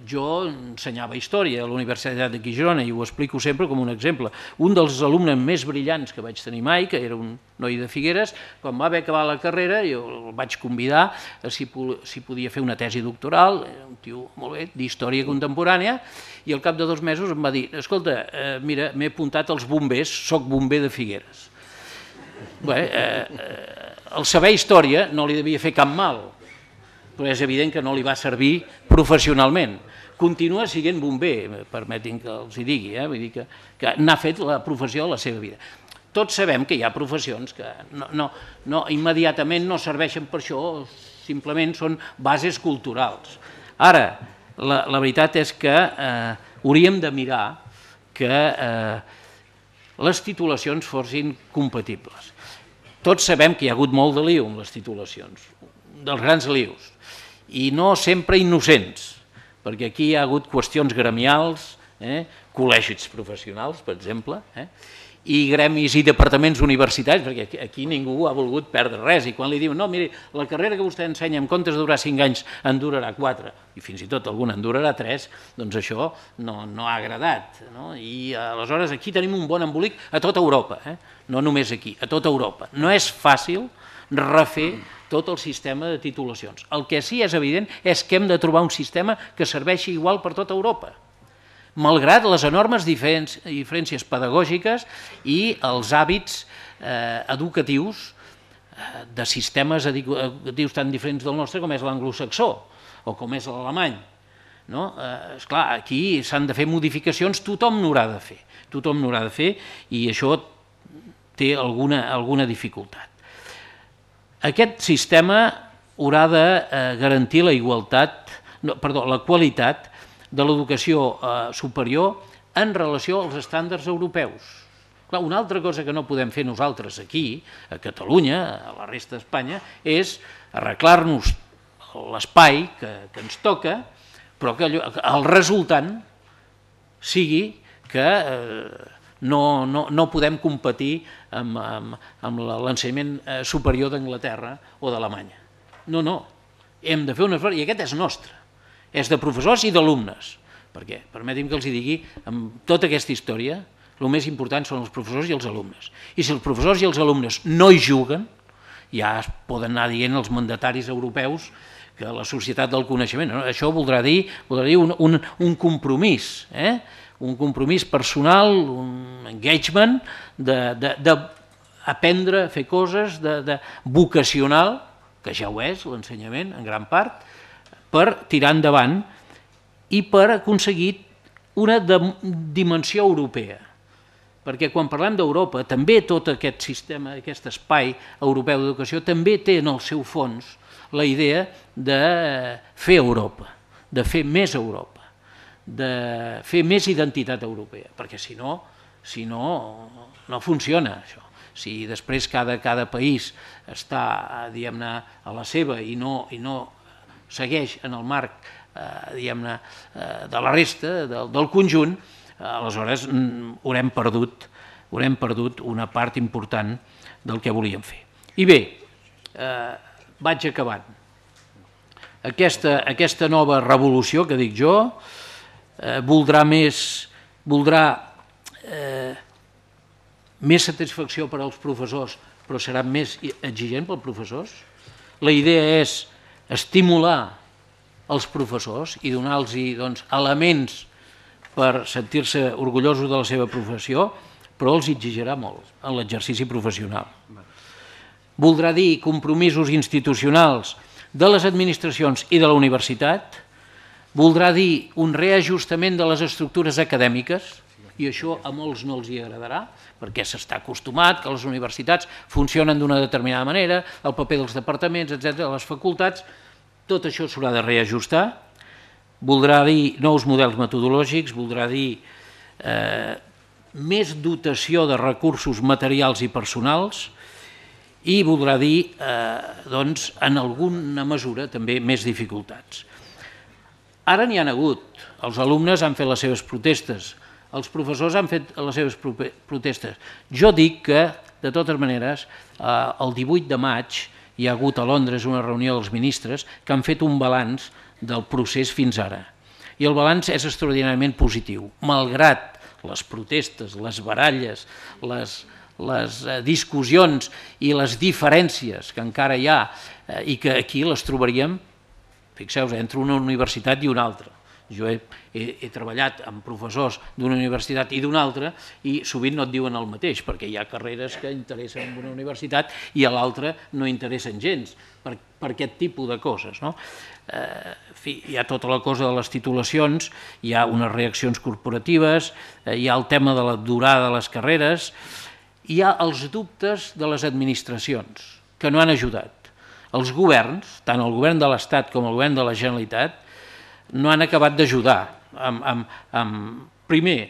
B: Jo ensenyava història a la Universitat de Girona i ho explico sempre com un exemple. Un dels alumnes més brillants que vaig tenir mai, que era un noi de Figueres, quan va haver acabat la carrera jo el vaig convidar si podia fer una tesi doctoral, un tio molt bé, d'història contemporània, i al cap de dos mesos em va dir: escolta, mira, m'he apuntat als bombers, soc bomber de Figueres. El saber història no li devia fer cap mal, però és evident que no li va servir professionalment. Continua sent bomber, permetin que els hi digui, vull dir que n'ha fet la professió de la seva vida. Tots sabem que hi ha professions que immediatament no serveixen per això, simplement són bases culturals. Ara, la veritat és que hauríem de mirar que les titulacions fossin compatibles. Tots sabem que hi ha hagut molt de liu amb les titulacions, dels grans lius, i no sempre innocents, perquè aquí hi ha hagut qüestions gremials, col·legis professionals, per exemple, i gremis i departaments universitaris, perquè aquí ningú ha volgut perdre res, i quan li diuen, no, miri, la carrera que vostè ensenya en comptes de durar cinc anys en durarà quatre, i fins i tot alguna en durarà tres, doncs això no ha agradat. I aleshores aquí tenim un bon embolic a tota Europa, no només aquí, a tota Europa. No és fàcil refer tot el sistema de titulacions. El que sí és evident és que hem de trobar un sistema que serveixi igual per tota Europa, malgrat les enormes diferències pedagògiques i els hàbits educatius de sistemes educatius tan diferents del nostre com és l'anglosaxó o com és l'alemany. Esclar, aquí s'han de fer modificacions, tothom n'haurà de fer, tothom n'haurà de fer i això té alguna dificultat. Aquest sistema haurà de garantir la igualtat, perdó, la qualitat de l'educació superior en relació als estàndards europeus. Una altra cosa que no podem fer nosaltres aquí, a Catalunya, a la resta d'Espanya, és arreglar-nos l'espai que ens toca, però que el resultant sigui que no podem competir amb l'ensenyament superior d'Anglaterra o d'Alemanya. No, no, hem de fer un esforç, i aquest és nostre. És de professors i d'alumnes, perquè, permeti'm que els digui, amb tota aquesta història, el més important són els professors i els alumnes. I si els professors i els alumnes no hi juguen, ja es poden anar dient els mandataris europeus que la societat del coneixement, això voldrà dir un compromís, un compromís personal, un engagement, d'aprendre a fer coses, de vocacional, que ja ho és l'ensenyament en gran part, per tirar endavant i per aconseguir una dimensió europea. Perquè quan parlem d'Europa, també tot aquest sistema, aquest espai europeu d'educació, també té en el seu fons la idea de fer Europa, de fer més Europa, de fer més identitat europea, perquè si no, si no, no funciona això. Si després cada país està, diguem-ne, a la seva i no segueix en el marc de la resta, del conjunt, aleshores haurem perdut una part important del que volíem fer. I bé, vaig acabant. Aquesta nova revolució que dic jo voldrà més més satisfacció per als professors, però serà més exigent pels professors. La idea és estimular els professors i donar-los elements per sentir-se orgullosos de la seva professió, però els exigirà molt en l'exercici professional. Voldrà dir compromisos institucionals de les administracions i de la universitat, voldrà dir un reajustament de les estructures acadèmiques, i això a molts no els hi agradarà, perquè s'està acostumat que les universitats funcionen d'una determinada manera, el paper dels departaments, etcètera, les facultats, tot això s'haurà de reajustar, voldrà dir nous models metodològics, voldrà dir més dotació de recursos materials i personals i voldrà dir, doncs, en alguna mesura també més dificultats. Ara n'hi ha hagut, els alumnes han fet les seves protestes, els professors han fet les seves protestes. Jo dic que, de totes maneres, el divuit de maig hi ha hagut a Londres una reunió dels ministres que han fet un balanç del procés fins ara. I el balanç és extraordinàriament positiu, malgrat les protestes, les baralles, les, les discussions i les diferències que encara hi ha i que aquí les trobaríem, fixeu-vos, entre una universitat i una altra. Jo he, he, he treballat amb professors d'una universitat i d'una altra i sovint no et diuen el mateix, perquè hi ha carreres que interessen en una universitat i a l'altra no interessen gens per, per aquest tipus de coses. No? Eh, en fi, hi ha tota la cosa de les titulacions, hi ha unes reaccions corporatives, eh, hi ha el tema de la durada de les carreres, hi ha els dubtes de les administracions que no han ajudat. Els governs, tant el govern de l'Estat com el govern de la Generalitat, no han acabat d'ajudar. Amb, amb, amb, primer,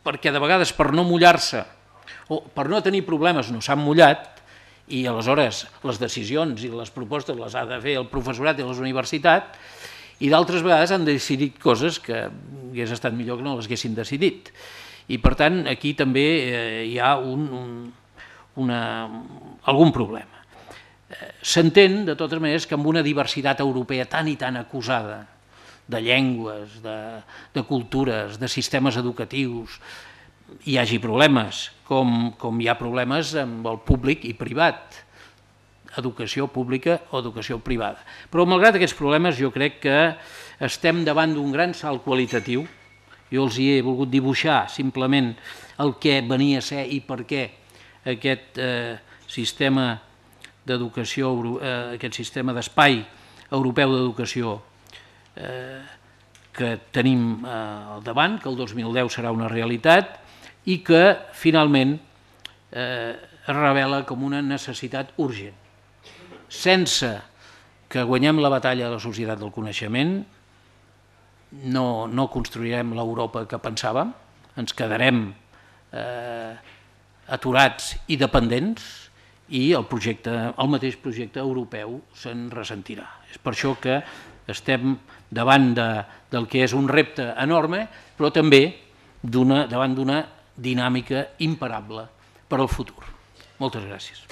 B: perquè de vegades per no mullar-se o per no tenir problemes no s'han mullat i aleshores les decisions i les propostes les ha de fer el professorat i les universitats i d'altres vegades han decidit coses que hagués estat millor que no les haguessin decidit. I per tant aquí també eh, hi ha un, un, una, algun problema. S'entén de totes maneres que amb una diversitat europea tan i tan acusada de llengües, de, de cultures, de sistemes educatius, hi hagi problemes, com, com hi ha problemes amb el públic i privat, educació pública o educació privada. Però malgrat aquests problemes jo crec que estem davant d'un gran salt qualitatiu. Jo els hi he volgut dibuixar simplement el que venia a ser i per què aquest eh, sistema d'educació, eh, aquest sistema d'espai europeu d'educació eh, que tenim eh, al davant, que el dos mil deu serà una realitat i que finalment eh, es revela com una necessitat urgent. Sense que guanyem la batalla de la societat del coneixement, no, no construirem l'Europa que pensàvem, ens quedarem eh, aturats i dependents, i el, projecte, el mateix projecte europeu se'n ressentirà. És per això que estem davant de, del que és un repte enorme, però també d'una, davant d'una dinàmica imparable per al futur. Moltes gràcies.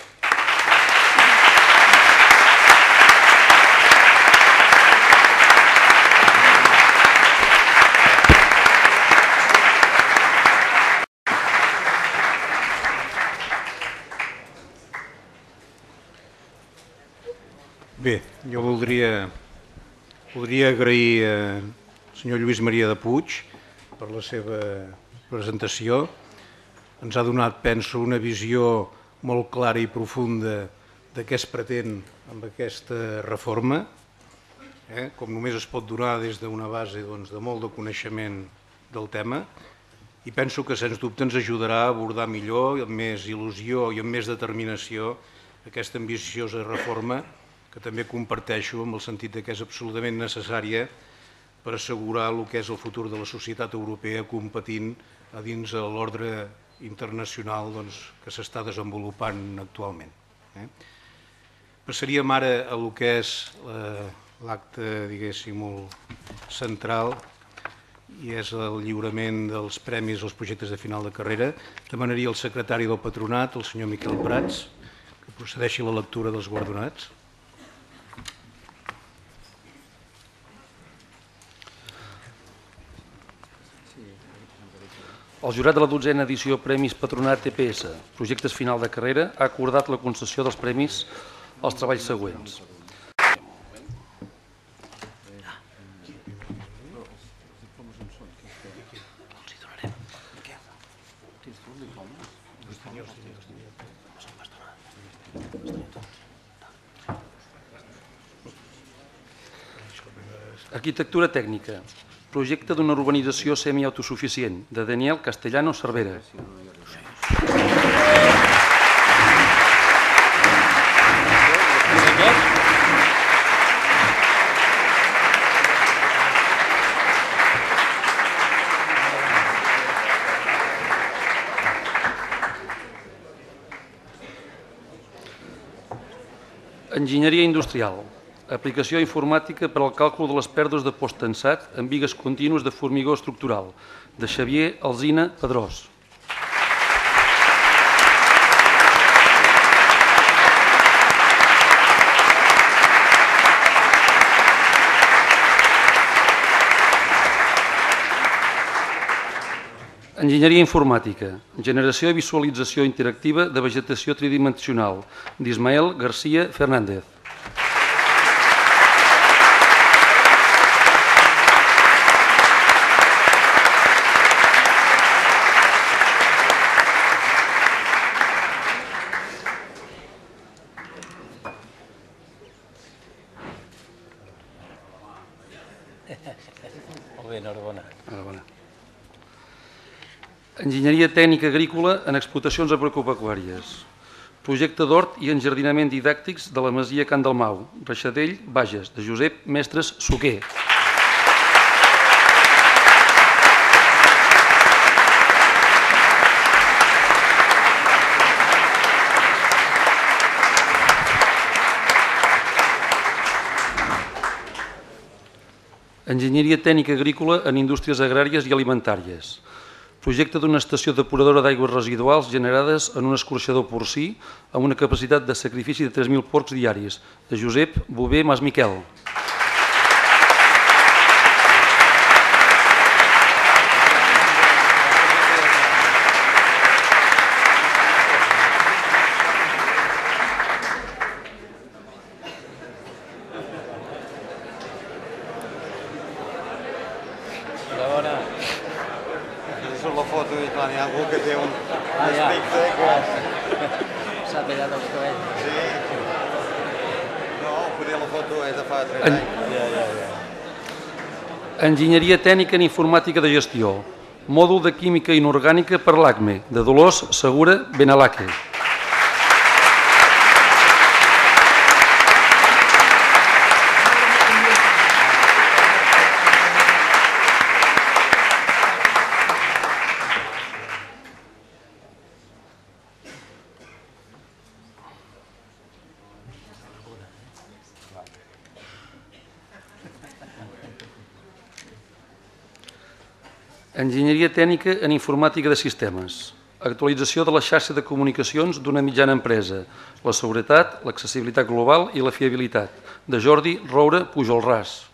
D: Bé, jo voldria, voldria agrair al senyor Lluís Maria de Puig per la seva presentació. Ens ha donat, penso, una visió molt clara i profunda de què es pretén amb aquesta reforma, eh? com només es pot donar des d'una base doncs, de molt de coneixement del tema, i penso que sens dubte ens ajudarà a abordar millor, amb més il·lusió i amb més determinació, aquesta ambiciosa reforma que també comparteixo amb el sentit que és absolutament necessària per assegurar el que és el futur de la societat europea competint a dins de l'ordre internacional doncs, que s'està desenvolupant actualment. Eh? Passaríem ara a el que és l'acte, diguéssim, molt central i és el lliurament dels premis als projectes de final de carrera. Demanaria al secretari del Patronat, el senyor Miquel Prats, que procedeixi a la lectura dels guardonats.
E: El jurat de la dotzena edició Premis Patronat T P S, projectes final de carrera, ha acordat la concessió dels premis als treballs següents. Arquitectura tècnica. Projecte d'una urbanització semiautosuficient, de Daniel Castellano Cervera. Enginyeria industrial. Aplicació informàtica per al càlcul de les pèrdues de post-tensat en bigues contínues de formigó estructural, de Xavier Alsina Pedrós. Enginyeria informàtica, generació i visualització interactiva de vegetació tridimensional, d'Ismael García Fernández.
B: Molt bé, enhorabona.
E: Enhorabona. Enginyeria tècnica agrícola en explotacions agropecuàries. Projecte d'hort i enjardinament didàctics de la masia Can Dalmau, Reixadell, Bages, de Josep Mestres Suquer. Enginyeria tècnica agrícola en indústries agràries i alimentàries. Projecte d'una estació depuradora d'aigües residuals generades en un escorxador porcí amb una capacitat de sacrifici de tres mil porcs diaris, de Josep Bové Masmiquel.
F: Surt la foto i clar, n'hi ha algú que té un aspecte que...
B: S'ha tallat els cabells.
F: Sí. No, potser la foto és de fa tres anys.
B: Ja, ja, ja.
E: Enginyeria tècnica en informàtica de gestió. Mòdul de química inorgànica per l'ACME, de Dolors Segura Benalaque. Enginyeria tècnica en informàtica de sistemes. Actualització de la xarxa de comunicacions d'una mitjana empresa. La seguretat, l'accessibilitat global i la fiabilitat. De Jordi Roura Pujolràs.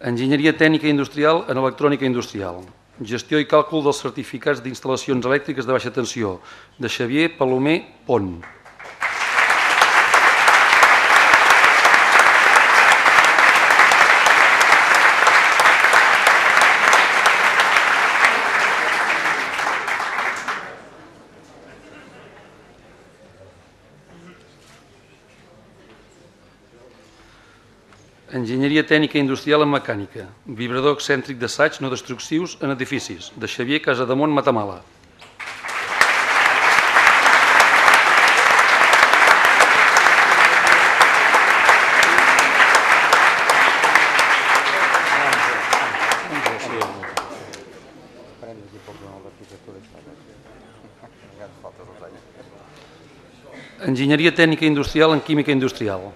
E: Enginyeria tècnica industrial en electrònica industrial. Gestió i càlcul dels certificats d'instal·lacions elèctriques de baixa tensió, de Xavier Palomer Pont. Enginyeria tècnica industrial en mecànica. Vibrador excèntric d'assaig no destructius en edificis, de Xavier Casademont Matamala. Enginyeria tècnica industrial en química industrial.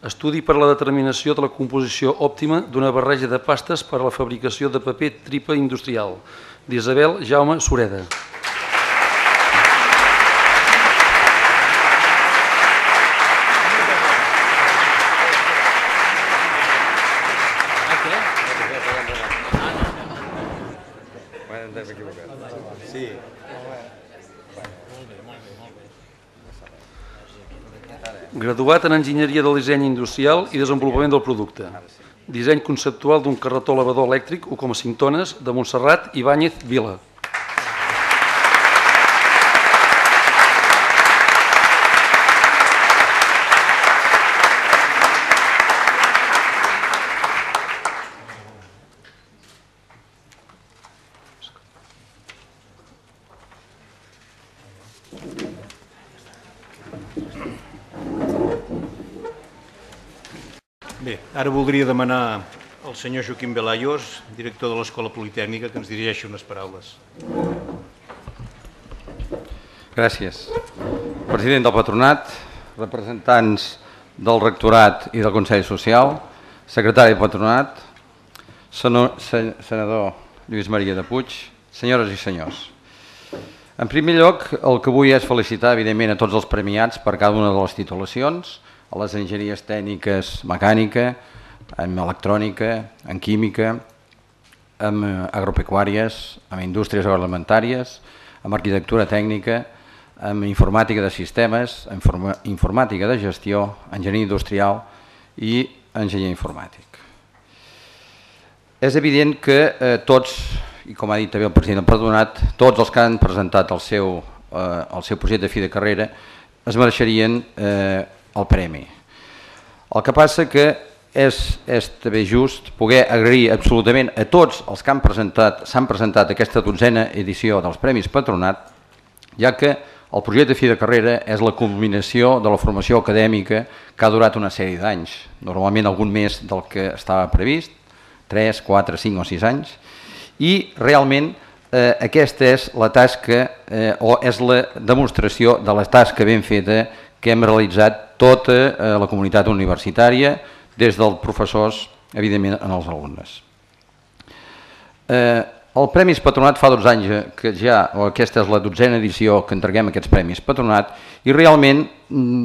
E: Estudi per a la determinació de la composició òptima d'una barreja de pastes per a la fabricació de paper tripa industrial, d'Isabel Jaume Sureda.
F: Sí.
E: Graduat en Enginyeria del Disseny Industrial i Desenvolupament del Producte. Disseny conceptual d'un carretó elevador elèctric u coma cinc tones de Montserrat Ibáñez Vila.
D: Bé, ara voldria demanar al senyor Joaquim Velayos, director de l'Escola Politècnica, que ens dirigeixi unes paraules.
G: Gràcies. President del Patronat, representants del Rectorat i del Consell Social, secretari del Patronat, senador Lluís Maria de Puig, senyores i senyors. En primer lloc, el que vull és felicitar, evidentment, a tots els premiats per cada una de les titulacions, a les enginyeries tècniques mecànica, en electrònica, en química, en agropecuàries, en indústries agroalimentàries, en arquitectura tècnica, en informàtica de sistemes, en informàtica de gestió, enginyeria industrial i enginyer informàtic. És evident que eh, tots, i com ha dit també el president del Patronat, tots els que han presentat el seu, eh, el seu projecte de fi de carrera es mereixerien eh, el premi. El que passa que és, és també just poder agrair absolutament a tots els que han presentat, s'han presentat aquesta dotzena edició dels Premis Patronat, ja que el projecte de fi de carrera és la culminació de la formació acadèmica que ha durat una sèrie d'anys, normalment algun més del que estava previst, tres, quatre, cinc o sis anys, i realment eh, aquesta és la tasca eh, o és la demostració de la tasca ben feta que hem realitzat tota eh, la comunitat universitària, des dels professors, evidentment, en els alumnes. Eh, el Premis Patronat fa dotze anys que ja, o aquesta és la dotzena edició que entreguem aquests Premis Patronat, i realment,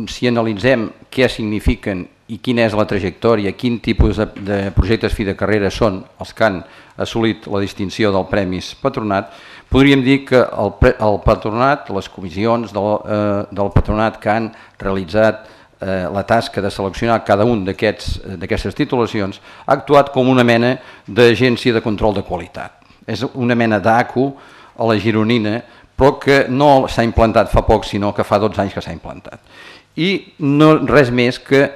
G: si analitzem què signifiquen i quina és la trajectòria, quin tipus de, de projectes fi de carrera són els que han assolit la distinció del Premis Patronat, podríem dir que el, el Patronat, les comissions del, eh, del Patronat que han realitzat eh, la tasca de seleccionar cada un d'aquestes titulacions, ha actuat com una mena d'agència de control de qualitat. És una mena d'A C U a la gironina, però que no s'ha implantat fa poc, sinó que fa dotze anys que s'ha implantat. I no res més que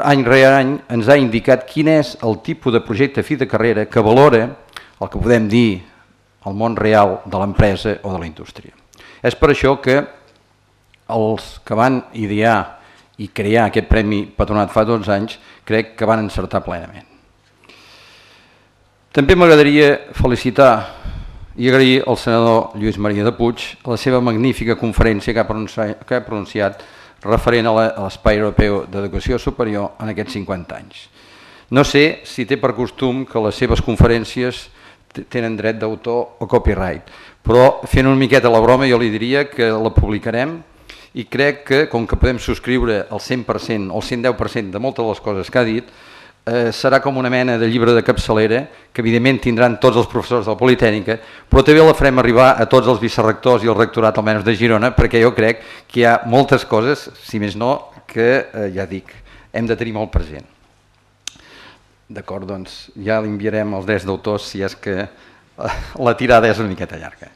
G: any rere any ens ha indicat quin és el tipus de projecte fi de carrera que valora el que podem dir el món real de l'empresa o de la indústria. És per això que els que van idear i crear aquest Premi Patronat fa dotze anys crec que van encertar plenament. També m'agradaria felicitar i agrair al senador Lluís Maria de Puig la seva magnífica conferència que ha pronunciat, que ha pronunciat referent a l'Espai Europeu d'Educació Superior en aquests cinquanta anys. No sé si té per costum que les seves conferències tenen dret d'autor o copyright, però fent una miqueta la broma jo li diria que la publicarem i crec que com que podem subscriure el cent per cent o el cent deu per cent de moltes de les coses que ha dit, eh, serà com una mena de llibre de capçalera que evidentment tindran tots els professors de la Politècnica, però també la farem arribar a tots els vicerrectors i el rectorat almenys de Girona, perquè jo crec que hi ha moltes coses, si més no, que eh, ja dic, hem de tenir molt present. D'acord, doncs ja li enviarem els drets d'autors si és que la tirada és una miqueta llarga.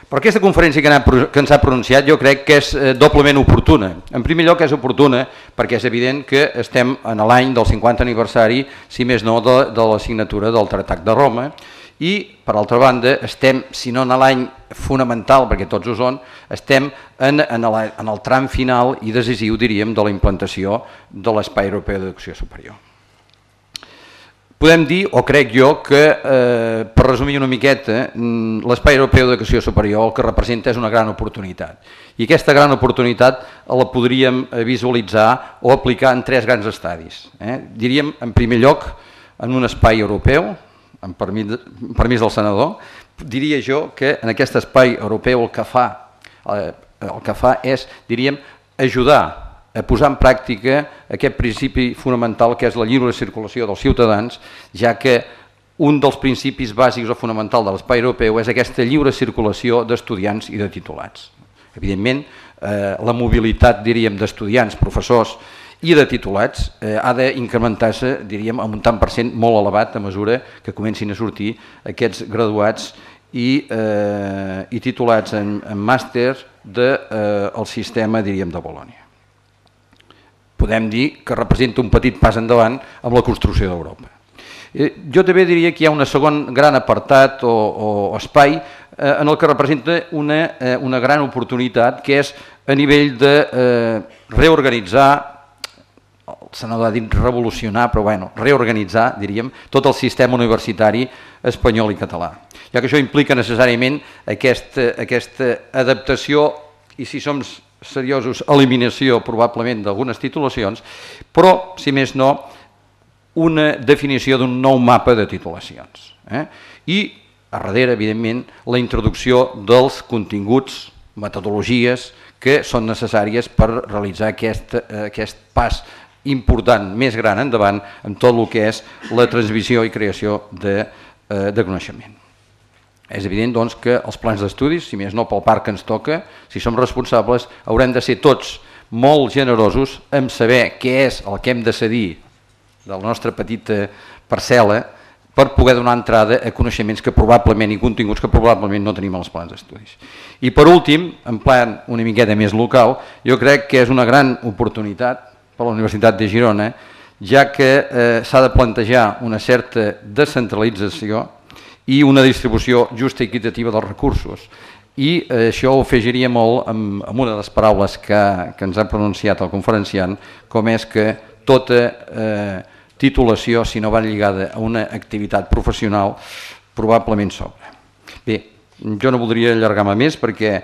G: Però aquesta conferència que ens ha pronunciat jo crec que és doblement oportuna. En primer lloc és oportuna perquè és evident que estem en l'any del cinquanta aniversari, si més no, de, de la signatura del Tractat de Roma, i per altra banda estem, si no en l'any fonamental, perquè tots ho són, estem en, en, el, en el tram final i decisiu, diríem, de la implantació de l'Espai Europeu d'Educació Superior. Podem dir, o crec jo, que, eh, per resumir una miqueta, l'Espai Europeu d'Educació Superior el que representa és una gran oportunitat. I aquesta gran oportunitat la podríem visualitzar o aplicar en tres grans estadis. Eh? Diríem, en primer lloc, en un espai europeu, amb permís, permís del senador, diria jo que en aquest espai europeu el que fa, eh, el que fa és, diríem, ajudar a posar en pràctica aquest principi fonamental que és la lliure circulació dels ciutadans, ja que un dels principis bàsics o fonamental de l'espai europeu és aquesta lliure circulació d'estudiants i de titulats. Evidentment, eh, la mobilitat, diríem, d'estudiants, professors i de titulats eh, ha d'incrementar-se, diríem, amb un tant per cent molt elevat a mesura que comencin a sortir aquests graduats i, eh, i titulats en, en màster del eh, sistema, diríem, de Bolònia. Podem dir que representa un petit pas endavant amb la construcció d'Europa. Jo també diria que hi ha un segon gran apartat o, o espai eh, en el que representa una, eh, una gran oportunitat, que és a nivell de eh, reorganitzar, el senador ha dit revolucionar, però bueno, reorganitzar, diríem, tot el sistema universitari espanyol i català. Ja que això implica necessàriament aquesta, aquesta adaptació i, si som seriosos, eliminació probablement d'algunes titulacions, però, si més no, una definició d'un nou mapa de titulacions. Eh? I, a darrere, evidentment, la introducció dels continguts, metodologies que són necessàries per realitzar aquest, aquest pas important, més gran endavant, en tot el que és la transmissió i creació de, de coneixement. És evident doncs, que els plans d'estudis, si més no pel parc que ens toca, si som responsables, haurem de ser tots molt generosos en saber què és el que hem de cedir de la nostra petita parcel·la per poder donar entrada a coneixements que probablement i continguts que probablement no tenim als plans d'estudis. I per últim, en plan una miqueta més local, jo crec que és una gran oportunitat per a la Universitat de Girona, ja que eh, s'ha de plantejar una certa descentralització i una distribució justa i equitativa dels recursos. I eh, això ho afegiria molt amb, amb una de les paraules que, que ens ha pronunciat el conferenciant, com és que tota eh, titulació, si no va lligada a una activitat professional, probablement sobra. Bé, jo no voldria allargar-me més perquè eh,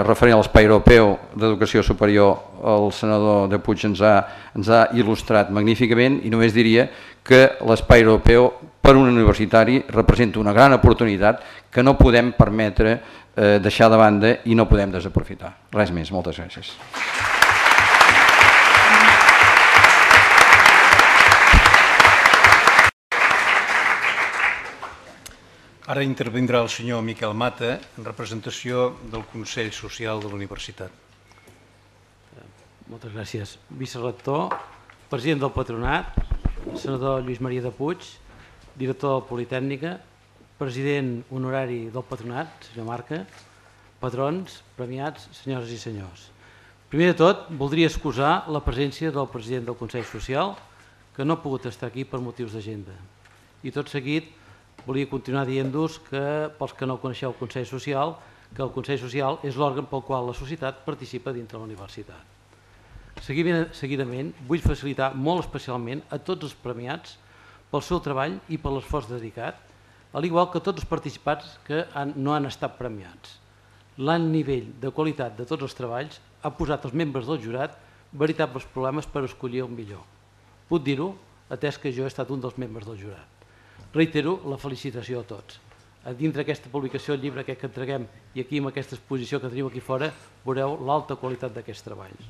G: referent a l'espai europeu d'educació superior, el senador de Puig ens ha, ens ha il·lustrat magníficament i només diria que l'espai europeu per un universitari representa una gran oportunitat que no podem permetre eh, deixar de banda i no podem desaprofitar. Res més, moltes gràcies.
D: Ara intervindrà el senyor Miquel Mata en representació del Consell Social de la Universitat.
B: Moltes gràcies. Vicerector, president del Patronat, senador Lluís Maria de Puig, director de la Politècnica, president honorari del Patronat, senyor Marca, patrons, premiats, senyores i senyors. Primer de tot, voldria excusar la presència del president del Consell Social, que no ha pogut estar aquí per motius d'agenda. I tot seguit, volia continuar dient-vos que, pels que no coneixeu el Consell Social, que el Consell Social és l'òrgan pel qual la societat participa dintre la universitat. Seguidament, vull facilitar molt especialment a tots els premiats pel seu treball i per l'esforç dedicat, al igual que tots els participants que no han estat premiats. L'alt nivell de qualitat de tots els treballs ha posat als membres del jurat veritables problemes per escollir el millor. Puc dir-ho, atès que jo he estat un dels membres del jurat. Reitero la felicitació a tots. A dintre d'aquesta publicació, el llibre aquest que entreguem i aquí amb aquesta exposició que teniu aquí fora, veureu l'alta qualitat d'aquests treballs.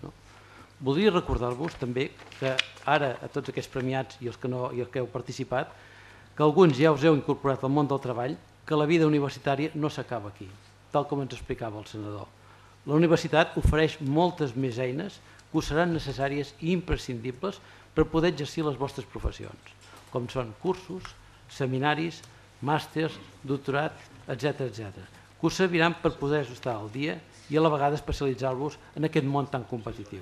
B: Voldria recordar-vos també que ara a tots aquests premiats i els que no i els que heu participat, que alguns ja us heu incorporat al món del treball, que la vida universitària no s'acaba aquí, tal com ens explicava el senador. La universitat ofereix moltes més eines que us seran necessàries i imprescindibles per poder exercir les vostres professions, com són cursos, seminaris, màsters, doctorat, etcètera, etcètera, que us serviran per poder estar al dia i a la vegada especialitzar-vos en aquest món tan competitiu.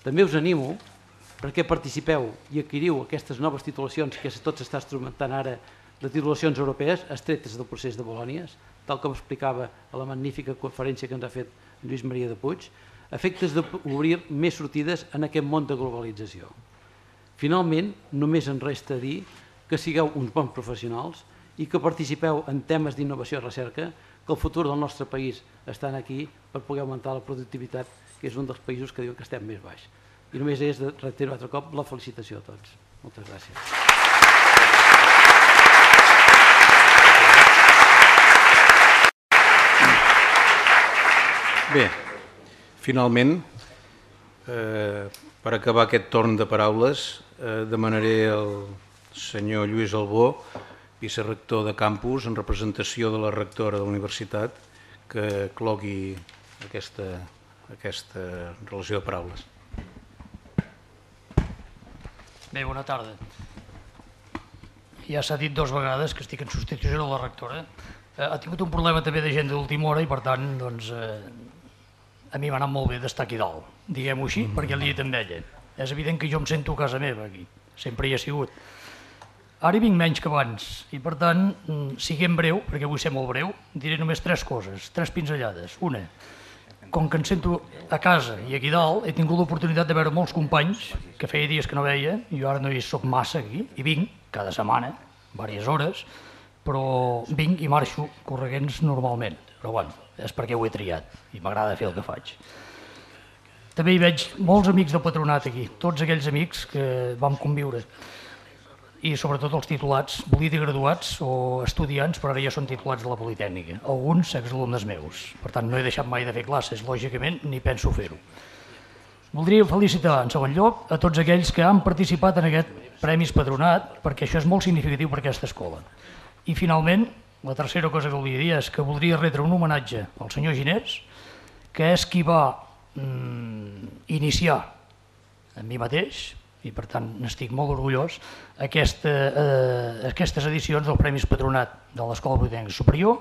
B: També us animo perquè participeu i adquiriu aquestes noves titulacions que tot s'està instrumentant ara de titulacions europees estretes del procés de Bolònies, tal com explicava a la magnífica conferència que ens ha fet Lluís Maria de Puig, a efectes d'obrir més sortides en aquest món de globalització. Finalment, només ens resta dir que sigueu uns bons professionals i que participeu en temes d'innovació i recerca, que el futur del nostre país està aquí per poder augmentar la productivitat, que és un dels països que diuen que estem més baix. I només és de reiterar altre cop la felicitació a tots. Moltes gràcies.
D: Bé, finalment, eh, per acabar aquest torn de paraules, eh, demanaré al senyor Lluís Albó, vicerector de campus, en representació de la rectora de la universitat, que clogui aquesta, aquesta relació de paraules.
H: Bé, bona tarda. Ja s'ha dit dues vegades que estic en substitució de la rectora. Ha tingut un problema també de gent d'última hora i, per tant, doncs, a mi m'ha anat molt bé d'estar aquí dalt, diguem-ho així, perquè l'he dit amb ella. És evident que jo em sento a casa meva aquí, sempre hi ha sigut. Ara hi vinc menys que abans i, per tant, siguem breu, perquè vull ser molt breu, diré només tres coses, tres pinzellades. Una, com que em sento a casa i aquí dalt, he tingut l'oportunitat de veure molts companys que feia dies que no veia, jo ara no hi soc massa aquí, i vinc cada setmana, diverses hores, però vinc i marxo correguents normalment, però bueno, és perquè ho he triat i m'agrada fer el que faig. També hi veig molts amics del patronat aquí, tots aquells amics que vam conviure. i sobretot els titulats, volia dir graduats o estudiants, però ara ja són titulats de la Politècnica, alguns exalumnes meus. Per tant, no he deixat mai de fer classes, lògicament, ni penso fer-ho. Voldria felicitar, en segon lloc, a tots aquells que han participat en aquest Premis Patronat, perquè això és molt significatiu per aquesta escola. I, finalment, la tercera cosa que volia dir és que voldria retre un homenatge al senyor Ginés, que és qui va mm, iniciar en mi mateix, i per tant n'estic molt orgullós, aquesta, eh, aquestes edicions del Premis Patronat de l'Escola Politècnica Superior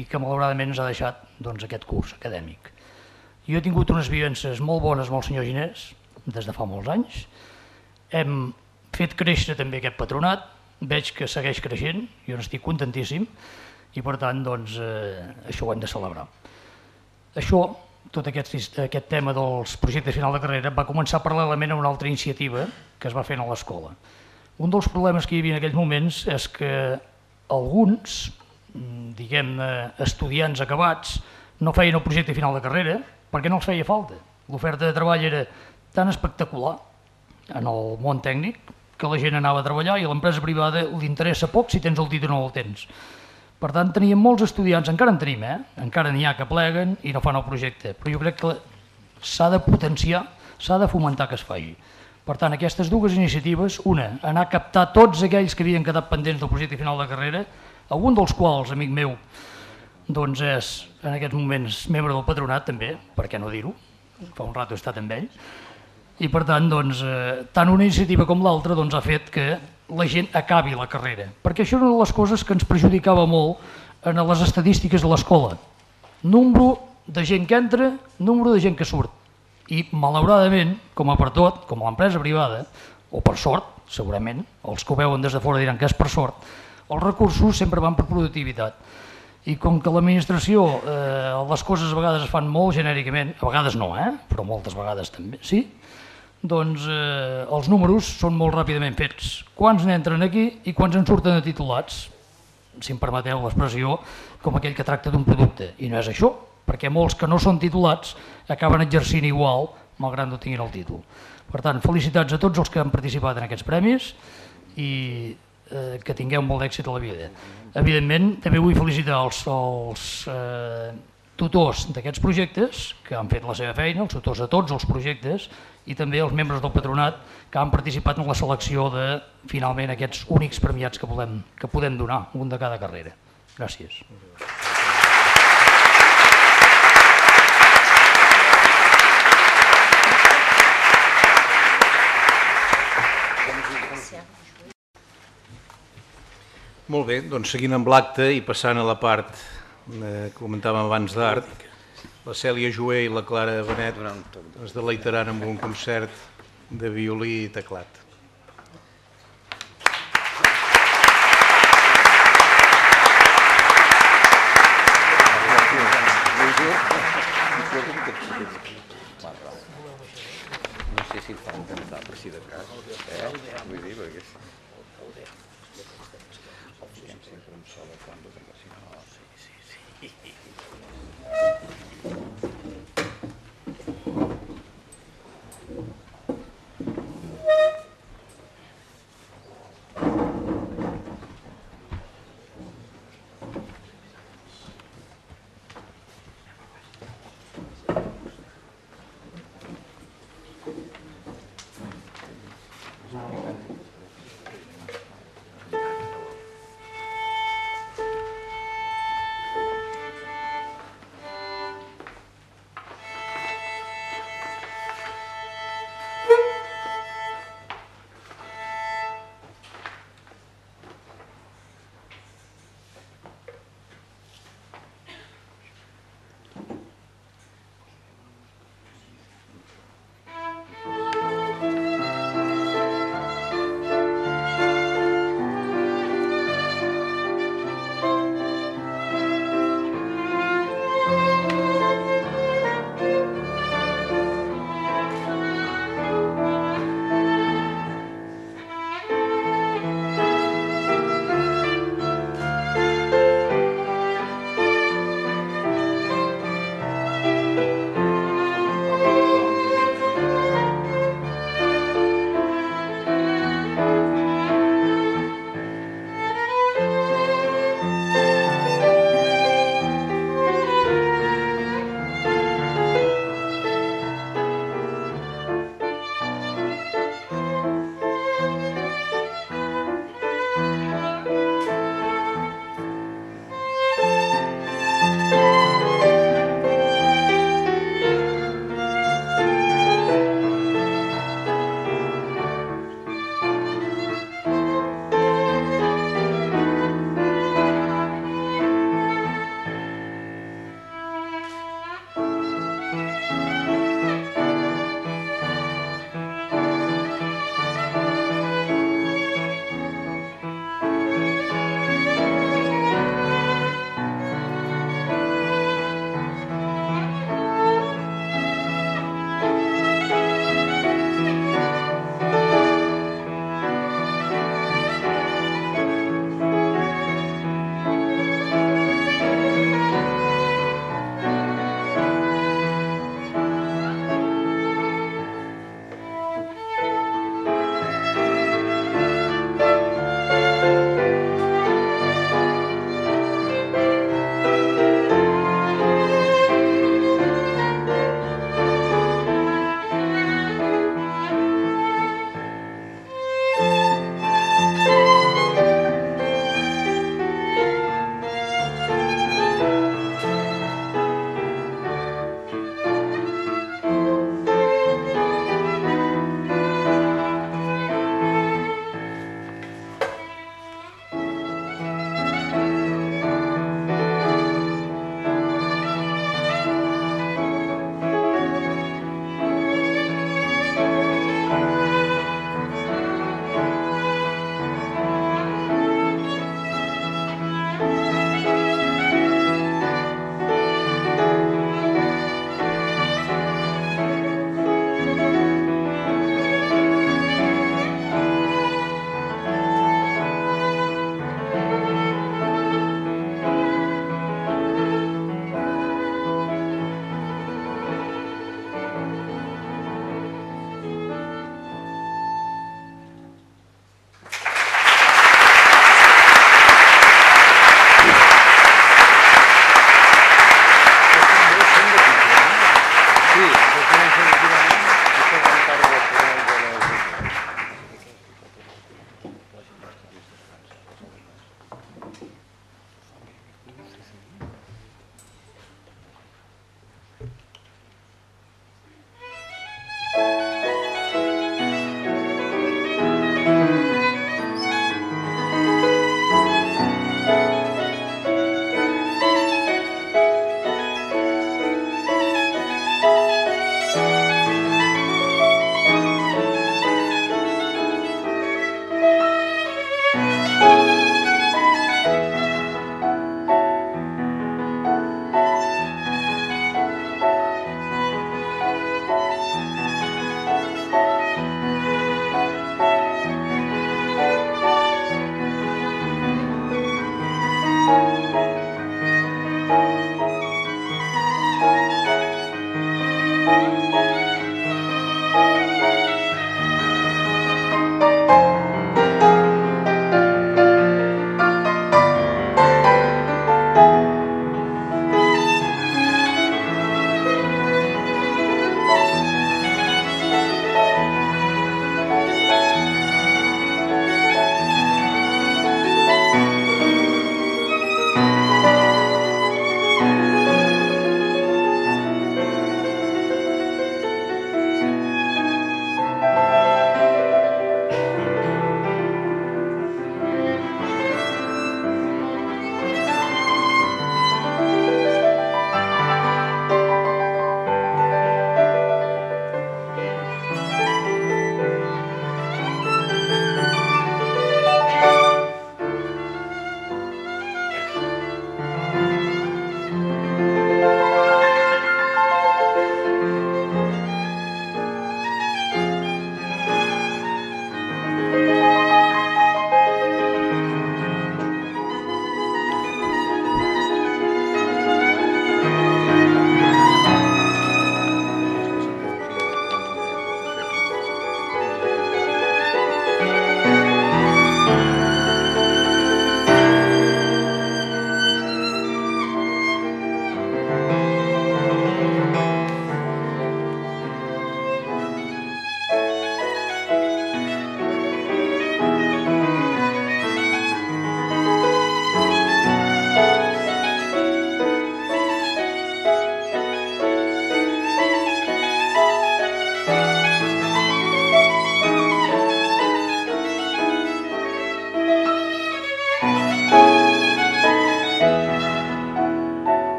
H: i que malauradament ens ha deixat doncs, aquest curs acadèmic. Jo he tingut unes vivències molt bones amb el senyor Ginés des de fa molts anys. Hem fet créixer també aquest patronat, veig que segueix creixent, jo n'estic contentíssim i per tant doncs, eh, això ho hem de celebrar. Això, tot aquest, aquest tema dels projectes final de carrera va començar paral·lelament a una altra iniciativa que es va fer a l'escola. Un dels problemes que hi havia en aquells moments és que alguns, diguem-ne, estudiants acabats no feien el projecte final de carrera perquè no els feia falta. L'oferta de treball era tan espectacular en el món tècnic que la gent anava a treballar i a l'empresa privada li interessa poc si tens el títol o no el tens. Per tant, teníem molts estudiants, encara en tenim, eh? encara n'hi ha que pleguen i no fan el projecte, però jo crec que s'ha de potenciar, s'ha de fomentar que es faci. Per tant, aquestes dues iniciatives, una, anar a captar tots aquells que havien quedat pendents del projecte final de carrera, algun dels quals, amic meu, doncs és en aquests moments membre del patronat també, per què no dir-ho, fa un rato he estat amb ell, i per tant, doncs, eh, tant una iniciativa com l'altra doncs, ha fet que la gent acabi la carrera, perquè això és una de les coses que ens perjudicava molt en les estadístiques de l'escola. Número de gent que entra, número de gent que surt. I malauradament, com a per tot, com a l'empresa privada, o per sort, segurament, els que ho veuen des de fora diran que és per sort, els recursos sempre van per productivitat. I com que l'administració, eh, les coses a vegades es fan molt genèricament, a vegades no, eh? però moltes vegades també, sí? doncs eh, els números són molt ràpidament fets. Quants n'entren aquí i quants en surten de titulats, si em permeteu l'expressió, com aquell que tracta d'un producte. I no és això, perquè molts que no són titulats acaben exercint igual, malgrat no tinguin el títol. Per tant, felicitats a tots els que han participat en aquests premis i eh, que tingueu molt d'èxit a la vida. Evidentment, també vull felicitar els, els eh, tutors d'aquests projectes que han fet la seva feina, els tutors de tots els projectes i també els membres del patronat que han participat en la selecció de, finalment, aquests únics premiats que podem, que podem donar, un de cada carrera. Gràcies.
D: Molt bé, doncs seguint amb l'acte i passant a la part eh, que comentàvem abans d'art, la Cèlia Joé i la Clara Benet ens deleitaran amb un concert de violí i teclat.
F: No sé si el fan cantar, per si de cas. Eh? Vull dir, perquè... Sempre un solo fondo, perquè si no... Sí, sí, sí.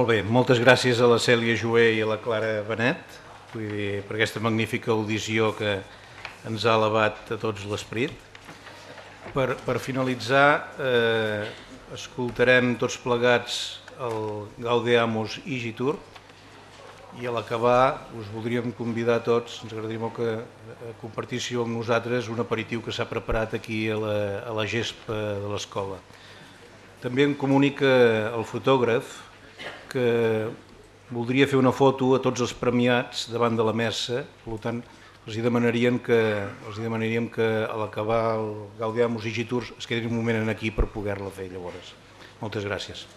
D: Molt bé, moltes gràcies a la Cèlia Joé i a la Clara Benet vull dir, per aquesta magnífica audició que ens ha elevat a tots l'esperit. Per, per finalitzar, eh, escoltarem tots plegats el Gaudeamus Igitur i a l'acabar us voldríem convidar a tots, ens agradaria molt que compartíssiu amb nosaltres un aperitiu que s'ha preparat aquí a la, a la gespa de l'escola. També em comunica el fotògraf que voldria fer una foto a tots els premiats davant de la mesa, per tant, els hi demanaríem que, els hi demanaríem que a l'acabar el Gaudeamus Igitur es quedin un moment aquí per poder-la fer llavors. Moltes gràcies.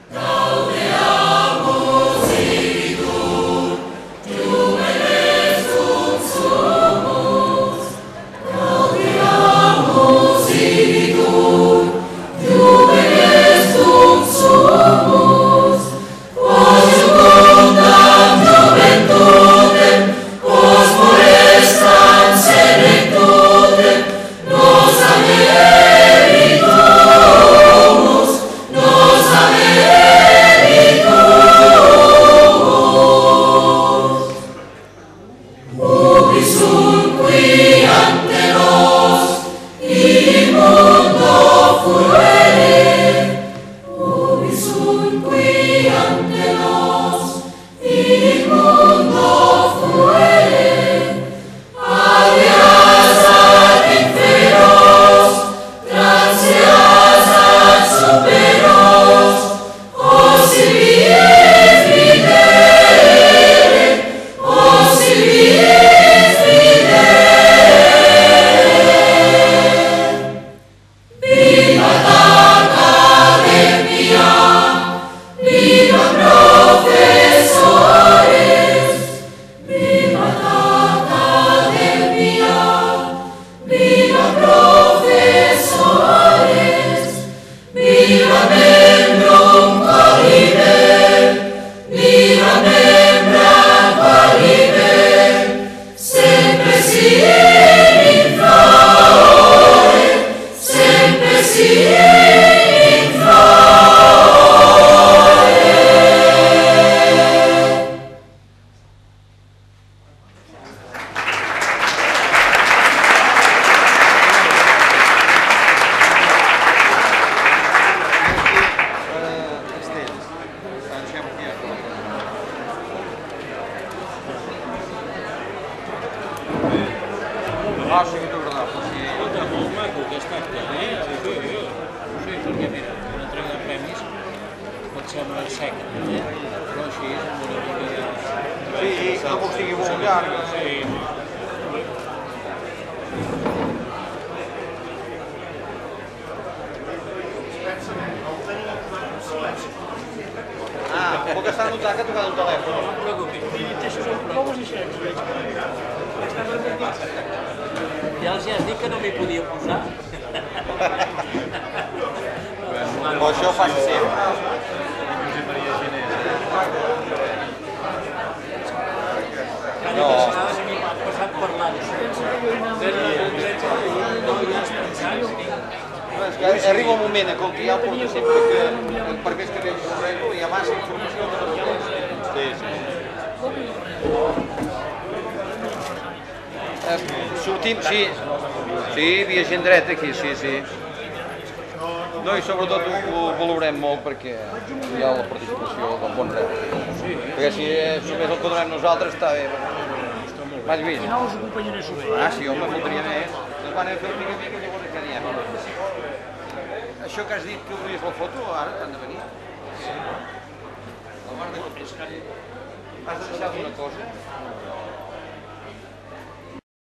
I: Gaudeamus Igitur, Juvenes sunt sumus. Gaudeamus Igitur, Juvenes sunt sumus. Quos jucundam juventutem, quos molestam senectutem, nos ameritumus, nos ameritumus. Ubi sunt qui ante nos, immundo fluere. Ubi sunt qui ante nos, immundo fluere. Alias ad inferos, transeas ad superos, osi vies videre, osi vies videre. Vivat Academia, vivat professores, vivat Academia, vivat professores, vivat membrum qualiber, vivat membram qualiber, sempre sien in favore, sempre sien in favore.
C: Ah, sí que t'ho agradava.
B: Escolta, molt maco aquest acte, eh? Sí, sí, perquè mira, una entrega de premis pot semblar seca, eh? Però així és amb una mica de...
C: Sí, no que ho sigui molt llarg.
B: Sí.
C: Ah, puc estar notant que ha tocat el telèfon.
B: No et preocupis. Ja els has dit que no m'hi podia posar.
C: Però això ho fas sempre.
B: No. Passat parlant.
C: És que arriba un moment en què ja porta sempre que per més que veig un règol hi ha massa informació que no es Sí, sí. Eh, sortim, sí. Sí, hi havia gent dreta aquí, sí, sí. No, i sobretot ho, ho valorem molt perquè hi ha la participació del bon dret. Perquè si només el que donem nosaltres està bé. M'has vist?
H: Al final us acompanyaré a sopar.
C: Ah, sí, home, voldria més. Ens van a fer mica mica, llavors ja n'hi ha. Això que has dit que obries la foto, ara han de venir. Sí. Has de deixar una cosa?